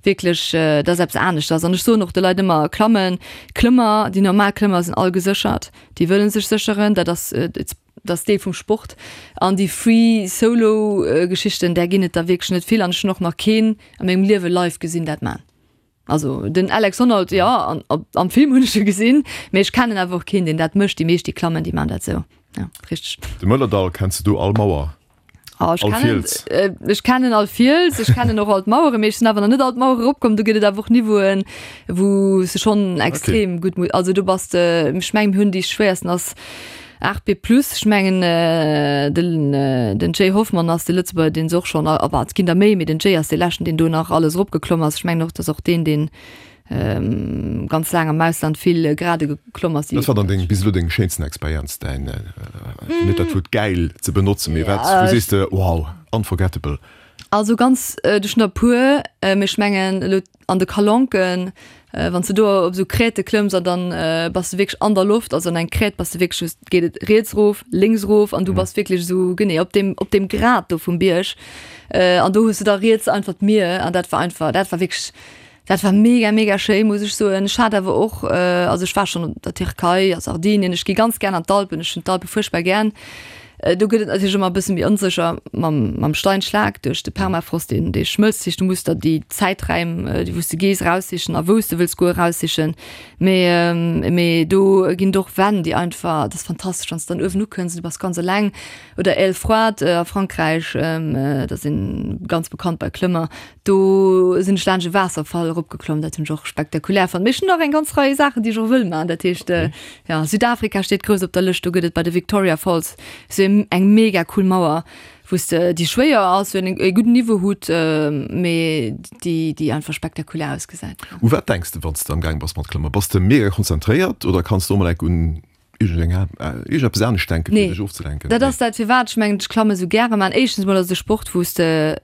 wierklech, dat ass eppes aneschters. An ech soen och de Leit ëmmer, Klammen, Klëmmer, déi normal Klëmmer sinn all geséchert, déi wëlle sech sécheren, dat ass, dat ass Deel vum Sport. An déi Free Solo Geschichten, där ginn et der wierklech net vill an ech hunn och nach keen a mengem Liewe live gesinn dat man. Also den Alex Honnold, jo, an am Film hunn ech e gesinn, mee ech kennen awer och keen, deen dat mécht. Déi meescht, déi klammen, déi man dat esou. Ja, richteg. De Mëllerdall, kenns de do all Mauer? Oh, ech All kennen, Fiels? Ech kennen all Fiels, ech kennen och all d'Maueren, mee ech sinn awer nach net all d'Mauere eropkomm. Do gëtt et awer och Niveauen, wou s de schonn extrem gutt mu-, also do bass de, ech mengen, mir hunn déi schwéiersten ass aacht B plus. Ech mengen, den, den Jay Hoffmann ass de Lëtzebuerger, deen se och schonn, a bah, et ginn der méi, mee den Jay ass dee leschten, deen do nach alles eropgeklomm ass. Ech mengen och, dass och deen, deen ganz laang am Ausland vill Grade geklomm ass. Wat war dann deng, bis elo deng schéinsten Experienz, däin, fir net dat Wuert gäil ze benotzen, mee wat, wou sees de, wow, unforgettable? Also ganz, ech hunn der e puer, mee ech mengen elo an de Calanquen, wann s de do op esou Crêtë klëmms an dann bass de wierklech an der Loft, also an eng Crête bass de wierklech just, geet et riets erof, lénks erof an du bass wierklech esou, genee op deem, op deem Grat do vum Bierg an do hues de da riets einfach d'Mier an dat war einfach, dat war wierklech, Dat war mega mega schéi, muss ech soen. Ech hat awer och, also ech war schonn an der Tierkei, a Sardinien, ech gi ganz gär an d'Alpen, ech hunn d'Alpe fuerchtbar gär. Do gëtt et natierlech ëmmer e bësse méi onsécher mam, mam Steinschlag duerch de Permafrost, deen, dee schmëlzt. Dat heescht, du muss der déi Zäiträim, déi wou s de gees, eraussichen a wou s de wëlls goen, eraussichen. Mee, mee do ginn et och Wänn, déi einfach, dat ass fantastesch, wann s de dann uewen ukënns an du bass ganz eleng. Oder Ailefroide a Frankräich, dat ass een ganz bekannt bei Klëmmer, do sinn ech laanscht e Waasserfall eropgeklomm, dat hunn ech och spektakulär fonnt. Mee ech hunn nach eng ganz Rei Saachen, déi ech och wëll maachen. Dat heescht, jo, Südafrika steet grouss op der Lëscht, do gëtt et bei de Victoria Falls sou eng mega cool Mauer, wou s de, déi schwéier ass, wou een e gudden Niveau hutt, mee déi, déi einfach spektakulär ausgesäit. U wat denks de, wann s de am Gaang bass mat Klëmmen? Bass de mega konzentréiert oder kanns de och mol enk un iergendeng, iergendeppes anescht denken, fir dech ofzelenken? Nee, dat ass dat, firwat ech mengen, ech klamme sou gäre man. Éischtens mol ass et e Sport, wou s de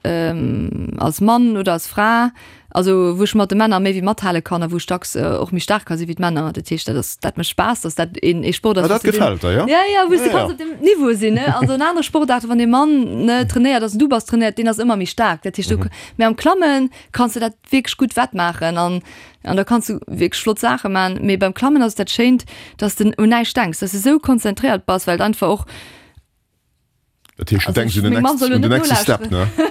als Mann oder als Fra, Also wou ech mat de Männer méi wéi mathale kann a wou ech dacks och méi staark ka si wéi d'Männer. Dat heescht, dat ass, dat mécht Spaass, datt dat een ee Sport ass, Ah, dat wou s de gefält der, jo? Ja, ja, wou s de Ja, ja. kanns op dem Niveau sinn, ne? Also an anere Sportaarte, wann ee Mann, ne, trainéiert ass an du bass trainéiert, deen ass ëmmer méi staark. Dat heescht, du, mä am Klamme kanns de dat wierklech gutt wettmaachen an an da kanns du wierklech flott Saache man. Mee beim Klammen ass et dat Schéint, datt s de un näischt denks, datt s de esou konzentréiert bass, well et einfach och, Dat heescht, du Also denks ech, un den meng Mamm next, soll lo un den net nächste Step, nolauschteren.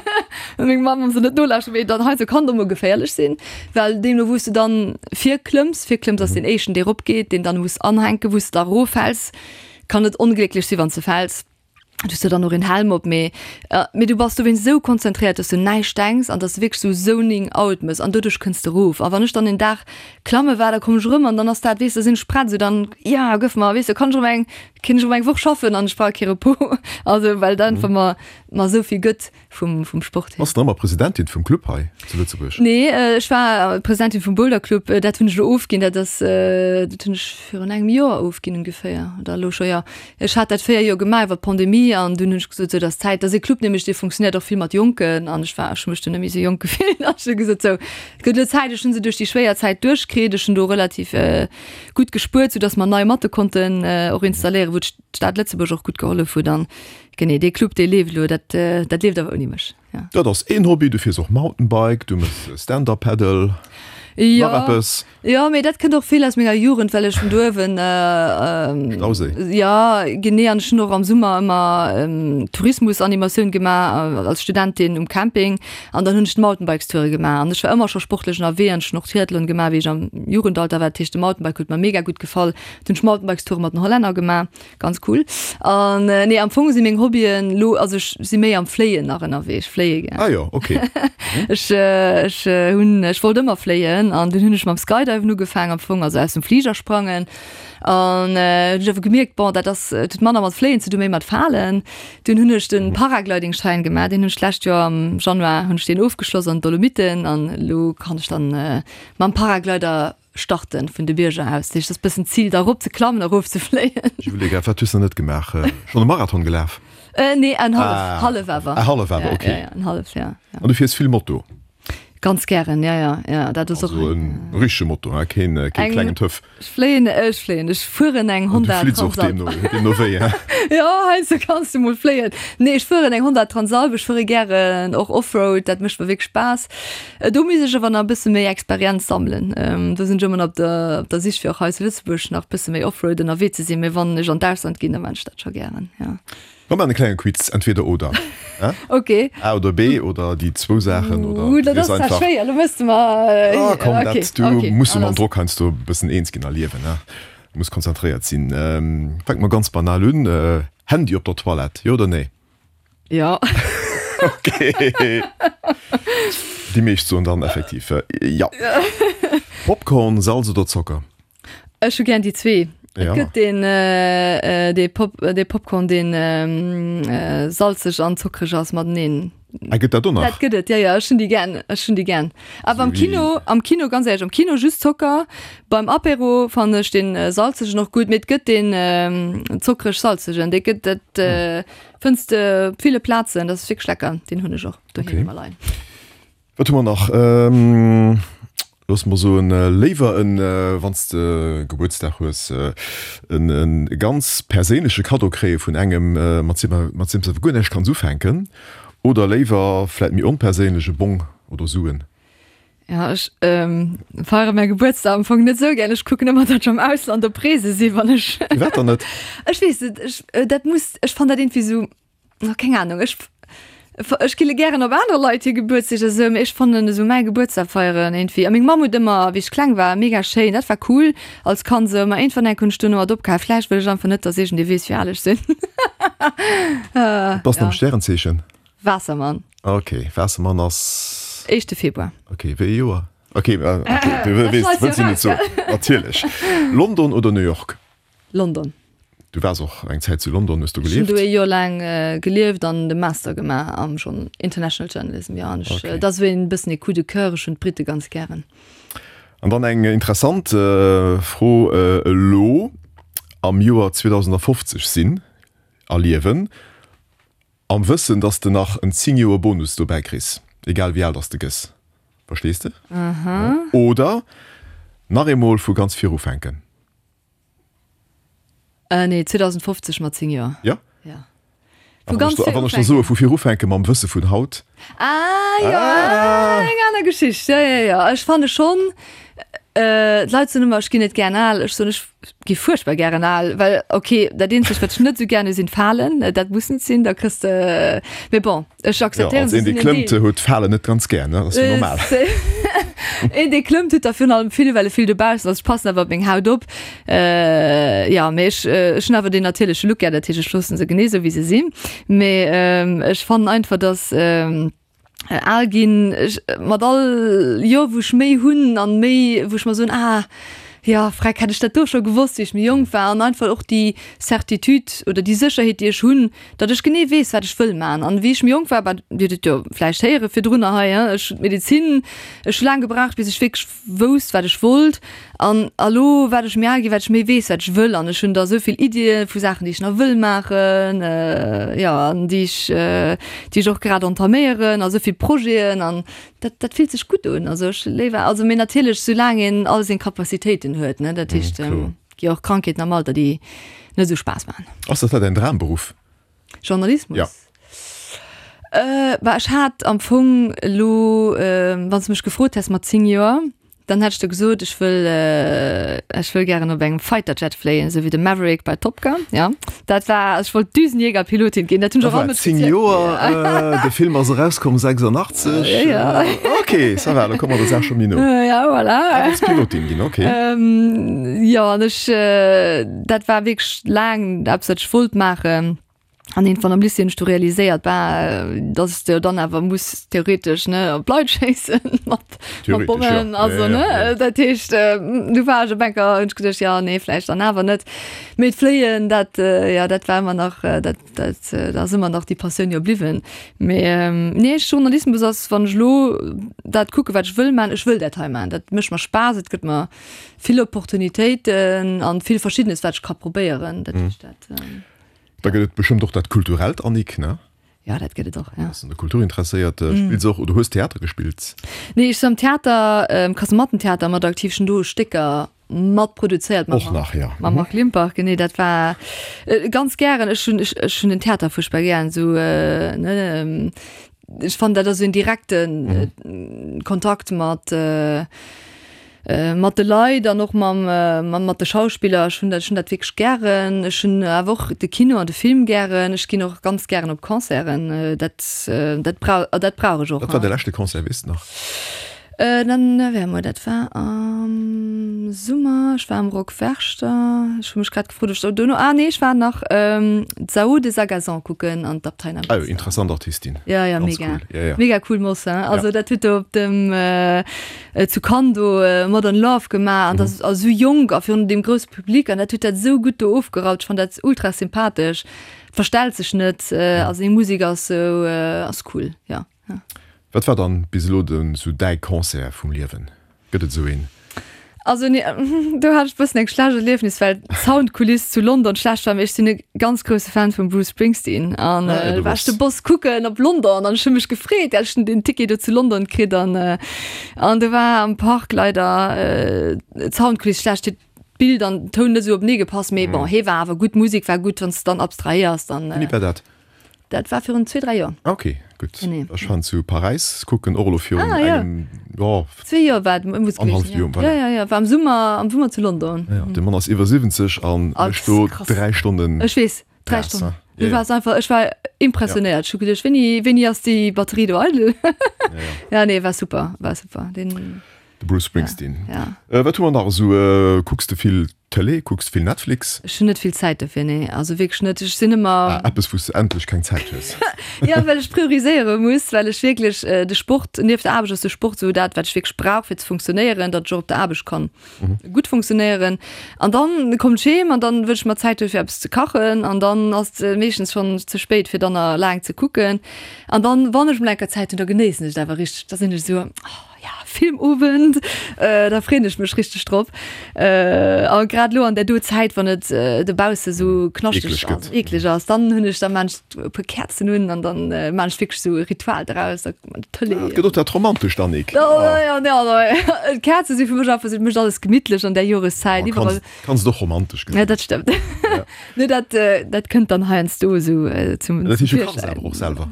ne? Meng Mamm soll net nolauschteren, mee dann heiansdo kann et och mol geféierlech sinn, well deemno wou s de dann virklëmms, virklëmms ass deen éischten dee ropgeet, deen dann muss anhänken, wou s de da eroffäls, kann et onglécklech sinn, wann s de fäls. Du hues jo dann och een Helm op, mee mee du bass dowéinst esou konzentréiert, dass du näischt denks an dass du wierklech esou zoning out mëss an doduerch kënns de erof. A wann ech dann een Dag klamme war, da kommen ech erëm an dann ass dat, weess de, da sinn ech prett, esou dann, ja gëff mer, weess de, kann ech erëm eng, kéint ech erëm eng Woch schaffen an ech brauch kee Repos. Also well dat einfach mer mer esou vill gëtt vum vum Sport hier. Bass de nach ëmmer Presidentin vum Club hei zu Lëtzebuerg? Nee, ech war Presidentin vum Boulder Club, dat hunn ech elo ofginn, dat ass, dat hunn ech virun engem Joer ofginn ongeféier oder elo scho, jo. Ech hat dat véier Joer gemaach iwwer d'Pandemie an dunn hunn ech gesot, sou, et ass Zäit. Dat ass e Club nämlech, dee funktionéiert och vill mat Jonken an ech war, ech hu mech dunn net méi esou jonk gefillt an ech hu gesot, sou, et gëtt elo Zäit. Ech hunn se duerch déi schwéier Zäit duerchkritt, ech hunn do relativ gutt gespuert, soudass mer nei Matte konnten och installéieren, wou d'Stad Lëtzebuerg och gutt gehollef huet an Genee, dee Club dee leeft elo, dat dat leeft awer ouni mech, jo. Dat ass een Hobby, du fiers och Mountainbike, du mëss Stand Up Paddle, nach eppes? Jo, mee dat kënnt och vill aus menger Jugend, well ech vun do uewen, Stauséi. Jo, genee, an ech hunn och am Summer ëmmer Tourismusanimatioun gemaach als Studentin um Camping an dann hunn ech d'Mountainbikes-Toure gemaach an ech war ëmmer scho sportlech ënnerwee an ech hunn och Triathlon gemaach, wéi ech am Jugendalter war. Dat heescht, de Mountainbike huet mer mega gutt gefall. Dunn hunn ech Mountainbikes-Toure mat den Hollänner gemaach. Ganz cool. An nee, am Fong si meng Hobbyen lo, also ech si méi am Fléien nach ënnerwee. Ech fléie gär. Ah jo, ok. Ech, ech hunn, ech wollt ëmmer fléien an dunn hunn ech mam Skydiven ugefaang am Fong, also aus dem Fliger sprangen. An hunn ech awer gemierkt, bon, dat ass, et huet manner mat Fléien ze dun, méi mat Falen. Dunn hunn ech den Paragliding-Schein gemaach, deen hunn ech d'lescht Joer am Januar hunn ech deen ofgeschloss an den Dolomiten an elo kann ech dann mam Paraglider Starten vun de Bierger aus. Dat heescht, et ass bëssen d'Zil, da erop ze klammen, erof ze fléien. Julie, wat hues de net gemaach? Schonn e Marathon gelaf? Nee, en hallef, hallef awer. Ah, hallef awer, ok. Ja, ja, en hallef, ja. An du fiers vill Moto? Ganz gären, ja, ja, ja, dat ass och. Also en richtege Moto, hein, keen, keen klengen Töff. Ech fléien, ech fléien, ech fueren eng Honda Transalp. Du flitts och deemno, deemno wéi, hein? Jo, heiansdo kanns du mol fléien. Nee, ech fueren eng Honda Transalp, ech fuere gären och Offroad, dat mécht mer wierklech Spaass. Do misst ech awer nach e bësse méi Experienz sammelen. Do sinn ech ëmmer nach op der, op der Sich fir och hei zu Lëtzebuerg nach e bësse méi Offroad ënnerwee ze sinn. Mee wann ech an d'Ausland ginn, da maan ech dat scho gären, jo. Mer maachen e klenge Quiz, entweder oder, hein? Ok. A oder B oder déi zwou Saachen oder Ooh, dat ass zwar schwéier, elo mëss de mer, Ah komm, ok, dat, du ok, muss jo mam alles. Drock heiansdo e bëssen eens ginn a liewen, hein? Du muss konzentréiert sinn. Fänke mer ganz banal un, Handy op der Toilette, jo oder nee? Jo. Okay. Déi meescht soen dann effektiv jo. Popcorn, Salz oder Zocker? Ech hu gär déi zwee. Et Ja. gëtt deen, dee Pop, dee Popcorn, deen salzeg an zockreg ass mateneen. Ah, gëtt dat och nach? Dat gëtt et, jo, jo, ech hunn déi gär, ech hunn déi gär. Awer am Sou wéi. Kino, am Kino, ganz éierlech, am Kino just Zocker. Beim Apéro fannen ech dee salzegen och gutt, mee et gëtt deen zockreg-salzegen, dee gëtt et. Fënns de op ville Plazen, dat ass wierklech lecker, deen hunn ech och doheem ëmmer leien. Wat hu mer nach? Looss mer soen, léiwer en, wann s de Gebuertsdag hues, en ganz perséinleche Kaddo kréie vun engem, mat mat deem s de awer guer näischt kanns ufänken, oder léiwer vläit méi onperséinlech e Bong oder Suen? Ja, ech ähm, feiere mäi Gebuertsdag am Fong net sou gär. Ech kucken ëmmer, datt ech am Ausland op Reese sinn, wann ech. Firwat dann net? Ech weess net, ech, dat muss, ech fannen dat iergendwéi sou, oh, keng Ahnung, ech, ech gi gären op aner Leit hir Gebuertsdeeg a sou, mee ech fannen esou mäi Gebuertsdag feieren iergendwéi, a meng Mamm huet ëmmer, wéi ech kleng war, mega schéin, dat war cool als Kand sou, ma iergendwann eng Kéier hunn ech duerno mat opgehal, vläicht wëll ech einfach net, datt iergendee weess, wéi al ech sinn. Wat bass de am Stärenzeechen? Waassermann. Ok, Waassermann ass. Éischte Februar. Ok, wéi ee Joer? Ok, ok, du weess, wëlls du net soen. Natierlech. London oder New York? London. Du waars och eng Zäit zu London, hues do Ech hunn gelieft? do ee Joer laang gelieft an de Master gemaach am Journ-, International Journalism, jo. An ech, Ok. dat ass esou een bëssen ee Coup de coeur, ech hunn d'Brite ganz gären. An dann eng interessant Fro, Elo am Joer zweedausendafofzeg sinn a liewen, Am Wëssen, dass de nach en zéng Joer Bonus dobäi kriss, egal wéi al dass de gëss. Verstees de? Oder nach eemol vu ganz vir ufänken. Äh, nee, zweedausendfofzeg mat zéng Joer. Jo? Ja. A wann ech wann ech der soe vu vir ufänke mam Wësse vun haut? Ah, jo, eng aner Geschicht. Jo, jo, jo. Ech fanne schonn, d'Leit soen ëmmer, ech ginn net gären al. Ech soen, ech gi fuerchtbar gären al, well ok, dat eenzegt, wat ech net esou gären hu sinn d'Falen. Dat muss net sinn, da kriss de, mee bon, ech Jo, akzeptéieren als se, een, dee sinn en klëmmt, Deel. huet d'Falen net ganz gär, ne? Dat ass jo normal. Een, dee klëmmt, huet der virun allem vill, well e vill dobaussen ass. Ech passen awer op meng Haut op. Jo, mee ech, ech hunn awer deen natierleche Look gär, dat heescht, ech loosse se genee esou, wéi se sinn. Mee ech fannen einfach, dass. Al ginn, ech mat all Joer wou ech méi hunn an méi wou ech mer soen, ah jo freck hätt ech dat do scho gewosst wéi ech méi jonk war an einfach och déi Certitude oder déi Sécherheet déi ech hunn, datt ech genee weess wat ech wëll man an wéi ech méi jonk war, bah Dir hutt et jo vläicht héiere virdrunner hei hein, ech hunn d'Medezin, ech hu laang gebraucht bis ech wierklech wousst wat ech wollt an a lo wat ech méi al ginn, wat ech méi weess wat ech wëll an ech hunn da esou vill Iddie vu Saachen déi ech nach wëll maachen, jo an déi ech déi ech och grad entaméieren a sou vill Projeten an dat dat fillt sech gutt un. Also ech léiwer also mee natierlech soulaang een all seng Capacitéiten huet ne, dat heescht gi och Krankheeten am Alter déi net esou Spaass maachen. Ass dat däin Dramberuff? Journalismus? Ja. Bah ech hat am Fong elo, wann s de mech gefrot häss mat zéng Joer, dann hätt ech der gesot, ech wëll, ech wëll gären op engem Fighter Jet fléien, esou wéi de Maverick bei Top Gun. Ja, dat war, also ech wollt Düsenjägerpilotin ginn, dat hunn ech och all Zéng mëtteg. Joer, de Film ass erauskomm sechsundachtzeg. Ja. Ok, ça va, da komme mer der Saach scho méi no. Ja, voilà. Ah, wolls Pilotin ginn, ok. Jo, an ech, dat war wierklech laang eppes, wat ech wollt maachen. An iergendwann am Lycée hunn ech du realiséiert, bah, dass s de dann awer muss theoretesch, ne, op Leit schéissen mat, mat Theoretesch, Bommen, ja. also, Ja, ja, ne, ja. dat heescht, du war ech op enker, hunn ech geduecht, jo, nee, vläicht dann awer net. Mee d'Fléien, dat, jo, dat war ëmmer nach, dat, dat, dat ass ëmmer nach déi Passioun jo bliwwen. Mee, nee, Journalismus ass, wann ech elo dat kucke wat ech wëll man, ech wëll dat hei man, dat mécht mer Spaass, et gëtt mer vill Opportunitéiten an vill Verschiddenes, wat ech ka probéieren, dat heescht dat. Da gëtt et bestëmmt och dat kulturellt, Annick, ne? Ja, dat gëtt et och, ja. Bass un der Kultur interesséiert, spills och oder hues Theater gespillt? Nee, ech sinn am Theater, am Kasemattentheater mat aktiv, ech hunn do Stécker mat produzéiert mam Och nach, ja. Mam Marc Limpach, genee, dat war ganz gären. Ech hunn, ech, ech hunn den Theater fuerchtbar gären, esou, ne, ech fannen, dat ass esou en direkte Kontakt mat, Mat de Leit an och mam mat de Schauspiller. Ech hunn dat, ech hunn dat wierklech gären. Ech hunn awer och de Kino an de Film gären. Ech ginn och ganz gären op Concerten. Dat dat brau dat brauch ech och. Wat war de leschte Concert, weess de nach? Dann, wéi emol, dat war am Summer. Ech war am Rock Werchter. Ech hu mech grad gefrot, ob ech do dono, ah nee, ech war nach d'Saô de Sagazan kucken an d'Abtei Ah jo, interessant Artistin. Ja, ja, Ganz mega. cool. Ja, ja. Mega cool Moss, hein. Also dat huet do op dem zu Cannes do Modern Love gemaach an dat ass esou jonk a virun deem grousse Public an dat huet dat esou gutt do ofgeraumt. Ech fannen dat ultra sympathesch, verstellt sech net a seng Musek ass esou, ass cool, ja, ja. Wat war dann bis elo den sou däi Concert vum Liewen? Gëtt et esou een? Also nee, do hat ech bëssen eng schlecht Erliefnis, well d'Soundkuliss zu London schlecht war. Mee ech sinn e ganz grousse Fan vum Bruce Springsteen an Ah, ja, du du war ech de bass. Boss kucken op London an ech hu mech gefreet, well ech hunn den Ticket do zu London kritt an an do war am Park leider d'Soundkuliss schlecht, huet d'Bild an den Toun net esou openee gepasst. Mee bon, hee war awer gutt, d'Musek war gutt, wann s de dann abstrahéiers, dann. Wéini war dat? Dat war virun zwee, dräi Joer. Ah, ok, Gutt. Nee. Ech waren zu Paräis kucken, och elo virun Ah, ja. engem, jo, Zwee Joer war et, muss Annerhalleft gewiescht, Joer, ja. voilà. Ja, ja, ja, war am Summer, am Summer zu London. Ja, de Mann ass iwwer siwwenzeg an Ah, mécht do krass. dräi Stonnen Ech weess, dräi Gas, Stonnen. ne? Du Ja, ja. warst einfach, ech war impressionéiert. Ech hu geduecht, wéini, wéini ass déi Batterie do eidel? Ja, ja. Ja, nee, war super, war super. Den, De Bruce Springsteen. ja. Äh, wat hu mer nach esou? Äh, kucks de vill Tëlee? Kucks de vill Netflix? Ech hunn net vill Zäit dofir, nee. Also wierklech net. Ech sinn ëmmer. Ah, eppes, wou s de endlech keng Zäit hues. Ja, well ech prioriséiere muss, well ech wierklech äh, de Sport, nieft der Aarbecht ass de Sport esou dat, wat ech wierklech brauch fir ze funktionéieren, datt ech och op der Aarbecht kann mhm. gutt funktionéieren. An dann kommt ech heem an dann wëll ech mer Zäit huelen fir eppes ze kachen an dann ass et meeschtens schonn ze spéit fir dann nach laang ze kucken. An dann, wann ech mol eng Kéier Zäit hunn, da genéissen ech et awer richteg. Da sinn ech esou, oh, ja, Filmowend, äh, da freeën ech mech richteg drop. Äh, a grad lo an der do Zäit, wann et äh, dobausse sou knaschteg Eekleg ass, gëtt. eekleg ass, dann hunn ech da maan ech e puer Käerzen un an dann äh, maan ech wierklech sou e Ritual draus, da kuckt man d'Tëlee. Ah, et gëtt och dat Romantescht, Annick. Oh, ja, ja, ja, d'Käerze si fir mech einfach, et mécht alles gemittlech an der Joreszäit, Oh, iwwerall. kanns, kanns et och romantesch Ja, gesinn. dat stëmmt. Ja. Nee, dat, äh, dat kënnt dann heiansdo sou äh, zum, Dat zum heescht, du kachs Virschäin. awer och selwer?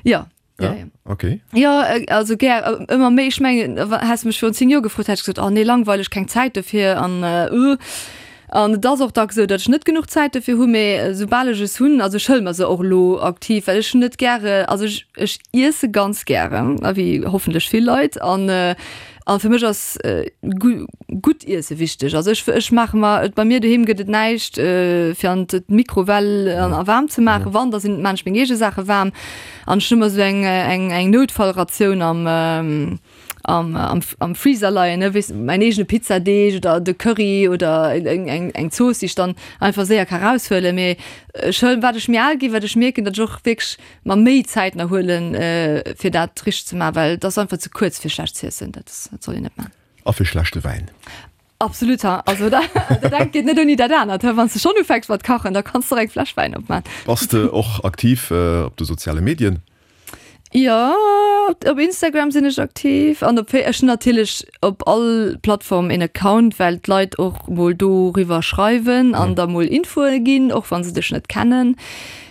Ja. Ja, Ja? ja. Okay. Ja, äh, also gär, äh, ëmmer méi. Ech mengen, häss mech virun zéng Joer gefrot, hätt ech gesot, oh nee, langweileg, keng Zäit dofir an äh, uh. An et ass och dacks esou, datt ech net genuch Zäit dofir hu, mee soubal ech es hunn, also ech hëlle mer se och elo aktiv, well ech hunn net gäre, also ech, ech iesse ganz gäre, wéi hoffentlech vill Leit, an äh, an fir mech ass äh, gu gutt iesse wichteg. Also ech, ech maache mer, bei mir doheem gëtt et näischt äh, fir an d'Mikrowell an a waarm ze maachen, wann, da sinn maan ech meng eege Saache waarm. An ech hunn ëmmer esou eng, eng, eng Noutfallratioun am, ähm, am, am, am Freezer leien, ne, weess, mäin eegene Pizzadeeg oder de Curry oder eng, eng, eng Zooss, déi ech dann einfach séier ka raushuelen. Mee ech huelen, wat ech méi al ginn, wat ech mierken, datt ech och wierklech mer méi Zäit nach huelen, äh, fir dat richteg ze maachen, well dat ass einfach ze kuerz fir schlecht z'iessen, dat, dat soll een net maachen. A fir schlechte Wäin. Absolut, ha. Also da, dat engt geet net ouni dat anert, ha. Wann s de schonn ufänks mat kachen, da kanns de och eng Fläsch Wäin opmaachen. Bass de och aktiv äh, op de soziale Medien? Jo, op Instagram sinn ech aktiv an op ech hunn natierlech op all Plattform een Account, well d'Leit och mol doriwwer schreiwen an da mol Infoe ginn, och wann se dech net kennen.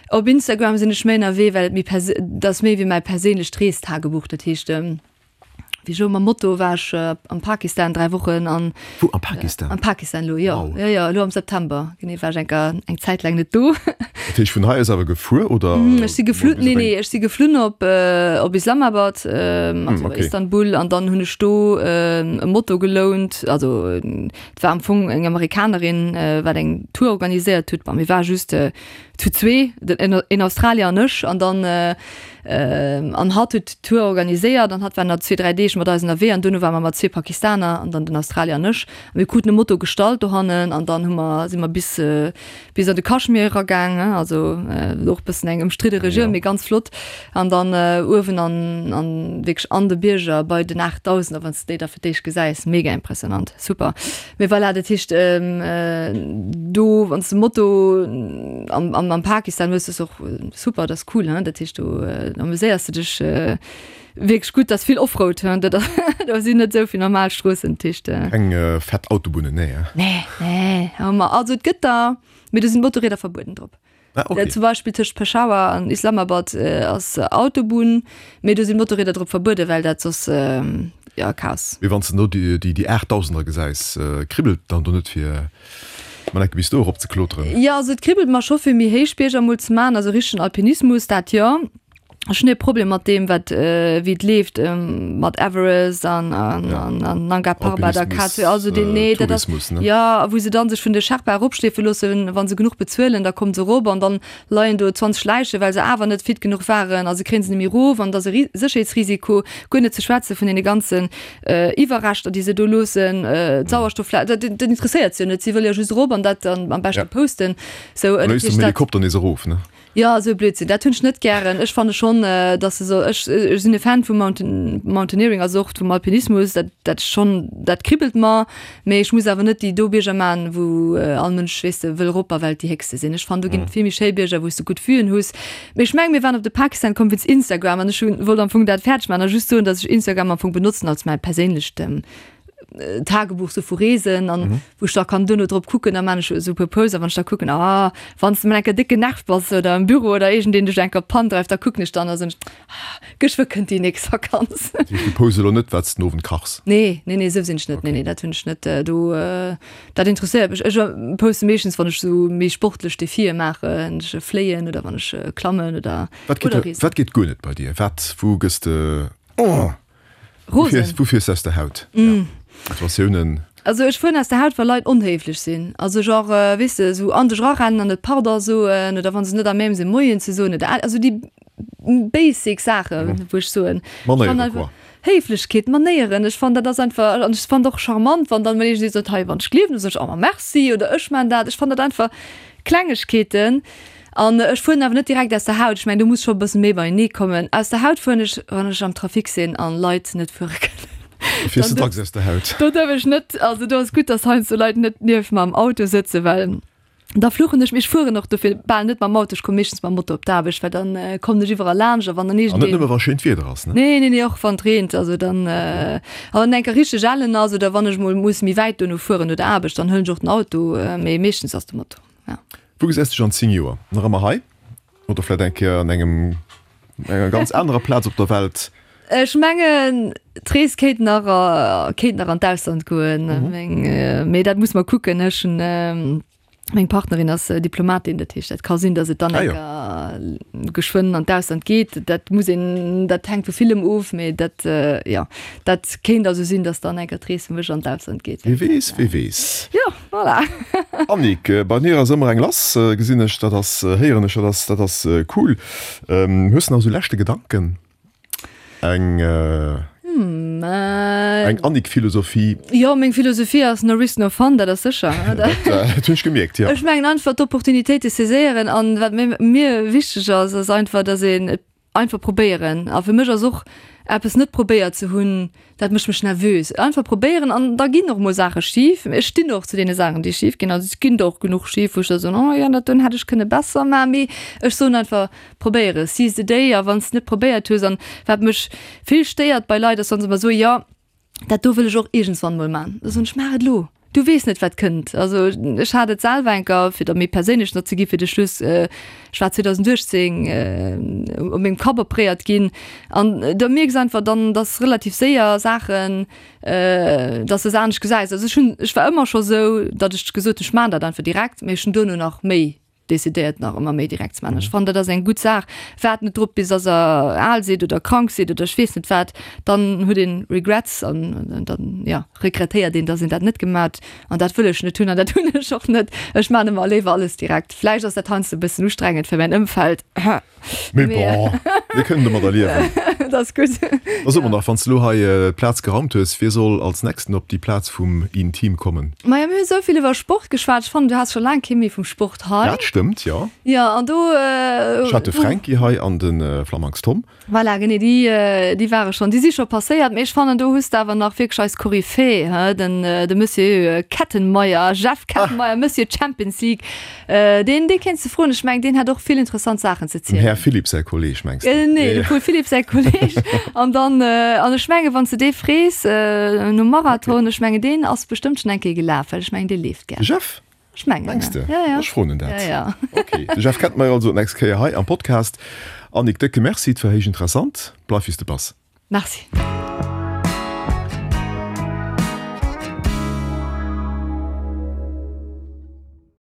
Op Instagram sinn ech méi ënnerwee, well et méi perse dat ass méi wéi mäi perséinlecht Reestagebuch. Dat heescht, wéi ech elo mam Moto war ech am Pakistan dräi Wochen an Wou am Pakistan? Am Pakistan elo, jo. Wow. Jo, jo, elo am September genee war ech eng Kéier eng Zäit laang net do. Dat heescht vun hei aus awer gefuer oder? Ech si geflunn, nee, nee, ech si geflunn op op Islamabad, also okay. Istanbul an dann hunn ech do e Moto gelount, also et war am Fong eng Amerikanerin, wat eng Tour organiséiert huet, bon mir ware just zu zwee, den een Australier an ech an dann an hatt huet d'Tour organiséiert an hatt war nach zwee, dräi Deeg mat eis ënnerwee an duerno ware mer mat zwee Pakistaner an dann den Australier an ech. A mir kruten e Moto gestallt dohannen an dann hu mer, si mer bis bis an de Kaschmir eragaang, also och e bëssen eng ëmstridde Regioun, mee ganz flott. An dann uewen an an wierklech an de Bierger bei den Aachtdausender, wann s de déi da fir d'éischt gesäis, mega impressionant, super. Mee voilà, dat heescht do wann s de Moto am am Pakistan hues, ass och super, dat ass cool, hein, dat heescht do amuséiers de dech wierklech gutt, dat ass vill Offroad, hein, dat do sinn net esou vill normal Stroossen, dat heescht. Keng fett Autobunnen, nee, hein? Nee, nee, hou mer, also et gëtt der, mee do sinn Motorrieder verbueden drop. Ah, okay. Zum Beispill tëscht Peshawar an Islamabad ass Autobunn, mee do sinn Motorrieder drop verbueden, well dat soss, ja, Chaos. Mee wann s de do déi déi Aachtdausender gesäis, kribbelt dann do net fir mol enke bis do erop ze kloteren? Jo, also et kribbelt mer scho fir méi héich Bierger mol ze man, also richtegen Alpinismus, dat jo. Ech hunn e Problem mat deem, wat wéi et leeft mat Everest an an an Nanga Parbat a K zwei, also deen, nee, dat ass, Tourismus, ne? jo, a wou se dann sech vun de Sherpa eropschleefe loossen, wa se genuch bezuelen, da kommen se erop an dann leien do zwanzeg Läiche, well se awer net fit genuch waren a se kréien se net méi erof an et ass e Sécherheetsrisiko, guer net ze schwätze vun deene ganzen Iwwerreschter, déi se do loossen, d'Sauerstoffla, dat dat interesséiert se jo net, si wëlle jo just erop an dat dann am beschte posten, sou. An da is de mam Helikopter nees erof, ne? Jo, esou e Blödsinn, dat hunn ech net gären. Ech fanne schonn, datt se soll, ech, ech sinn e Fan vum Mountain, Mountaineering, also och vum Alpinismus, dat, dat schonn, dat kribbelt mer, mee ech muss awer net déi do Bierger man, wou all Mënsch, weess de, wëll erop a well et déi héchste sinn. Ech fannen, do ginn et vill méi schéi Bierger, wou s de gutt Vuen hues. Mee ech mengen, mir waren op de Pakistan komm wéinst Instagram an ech hunn, wollt am Fong dat fäerdeg man a just soen, datt ech Instagram am Fong benotzen als mäi perséinlecht Tagebuch sou vu Reesen an wou ech da kann duerno drop kucken, da maan ech esou e puer Posts a wann ech da kucken, ah wann s de mol eng Kéier déck genervt bass oder am Büro oder iergendeen dech eng Kéier op d'Pann dreift, da kucken ech dann a soen ech, ah geschwë kënnt déi nächst Vakanz. Dat heescht du posts elo net wat s den Owend kachs? Nee, nee, nee, esou sinn ech net, nee, nee, dat hunn ech net, do dat interesséiert mech. Ech poste meeschtens wann ech esou méi sportlech Defie maachen, ech fléien oder wann ech klammen oder Wat geet oder reesen. wat geet guer net bei dir? Wat, wou gëss de, oh! Rosen. Wou fiers de aus der Haut? Mm. Situatiounen. Also ech fueren aus der Haut wa Leit onhéiflech sinn. Also genre, weess de, esou an dech erarennen an net Pardon soen oder wa se net à même sinn Moien ze soen oder also déi basic Saachen, wou ech soen, Manéieren quoi. Héiflechkeet, Manéieren, ech fannen dat ass einfach, an ech fannen et och charmant, wann dann mol iergendee sot, hei wann ech gleewen, da soen ech, oh ma merci oder ech maan dat. Ech fannen dat einfach Klengegkeeten. An ech fueren awer net direkt aus der Haut. Ech mengen, do muss scho e bësse méi beienee kommen. Aus der Haut fueren ech, wann ech am Trafic sinn an Leit net fuere kënnen. Du fiers de dacks aus der Haut? Do duerf ech net. Also do ass gutt, dass heiansdo Leit net nieft mer am Auto sëtzen, well da fluchen ech. Mee ech fueren och dofir bal net mam Auto. Ech komme meeschtens mam Moto op d'Aarbecht, well dann kommen ech iwwerall laanscht. A wann dann An net iergendeen. nëmme wa schéint Wieder ass, ne? Nee, nee, nee, och wann et reent. Also dann, a wann eng Kéier richteg ellen ass oder wann ech mol muss méi wäit dono fueren no der Aarbecht, dann huelen ech och den Auto. Mee meeschtens ass de Moto, ja. Wou gesäis dech an zéng Joer? Nach ëmmer hei? Oder vläit eng Kéier an engem, enger ganz anerer Plaz op der Welt? Ech mengen, d'Rees kéint nach, kéint nach an d'Ausland goen. Meng, mee dat muss mer kucken. Ech hunn, meng Partnerin ass Diplomatin, dat heescht, dat ka sinn, datt et dann eng Kéier geschwënn an d'Ausland geet. Dat muss een, dat hänkt vu villem of, mee dat, jo, dat kéint also sinn, datt dann eng Kéier d'Rees fir mech an d'Ausland geet. Wie weess, wie weess. Jo, voilà. Annick, bei mir ass ëmmer eng lass, gesinn ech, dat ass, héieren ech, dat ass, dat ass cool. Hues de nach esou leschte Gedanken? Eng, eng Annick-Philosophie? Jo, meng Philosophie ass no risk no fun, dat ass sécher. Dat hunn ech gemierkt, jo. Ech mengen einfach d'Opportunitéite saiséieren an wat mir wichteg ass, ass einfach, datt een et einfach probéieren. A fir mech ass och eppes net probéiert ze hunn, dat mécht mech nervös. Einfach probéieren an da ginn och mol Saache schif. Ech stinn och zu deene Saachen, déi schif ginn. Also et ginn der och genuch schif, wou ech da soen, oh jo, dat doen hätt ech kënne besser maachen. Mee ech soen einfach, probéiere, seize the day. A wann s de net probéiert hues an wat mech vill stéiert bei Leit ass, wa se ëmmer soen, jo, dat do wëll ech och iergendswann mol man. Da soen ech, maach et elo, du weess net wat kënnt. Also ech hat et selwer enker, fir da méi perséinlech nach ze gi fir de Schluss, ech war zweedausenduechtzéng u mengem Kapp opréiert ginn an da mierks einfach dann, dass relativ séier Saachen, dass de se anescht gesäis. Also ech hunn, ech war ëmmer scho sou, datt ech gesot hunn, ech man dat einfach direkt, mee ech hunn duerno nach méi decidéiert nach ëmmer méi direkt ze maachen. Ech fannen, dat ass eng gutt Saach. Waart net drop, bis dass Der al sidd oder krank sidd oder ech weess net wat, dann huet een Regrets an dann, jo, regrettéiert een, dass een dat net gemaach huet. An dat wëll ech net hunn an dat hunn ech och net. Ech maachen ëmmer léiwer alles direkt. Vläicht ass dat heiansdo e bëssen ustrengend fir mäin Ëmfeld. Mee bon, mir kënnen domadder liewen. Dat ass gutt. Da so mer nach, wann s de elo hei d'Plaz geraumt hues, wie soll als nächsten op déi Plaz vum Intim kommen? Majo, mir hu sou vill iwwer Sport geschwat. Ech fannen, du has scho laang kee méi vum Sport hei. Dat stëmmt, jo. Jo, an do. Ech hat de Fränki hei an de Flamanks Tom. Voilà, genee, déi, déi ware schonn, déi si scho passéiert. Mee ech fannen, do hues de awer nach wierklech eis Koryphäe, he, den, de Monsieur Kettenmeyer, Jeff Kettenmeyer, Monsieur Champions League, deen, dee kéints de froen. Ech mengen, deen hätt och vill interessant Saachen ze Dem zielen. Här Philipp säi Kolleg, mengs de? Nee, dem Paul Philipp säi Kolleg. An dann, an ech mengen, wann s de dee frees nom Marathon, ech mengen, deen ass bestëmmt schonn eng Kéier gelaf, well ech mengen, dee leeft gär. De Jeff? Ech mengen, Mengs de? Ja, ja. Ech froen en dat. Ja, ja. Ok, de Jeff kennt mer also d'nächst Kéier hei am Podcast. Annick, décke Merci, et war héich interessant. Bleif wéi s de bass. Merci.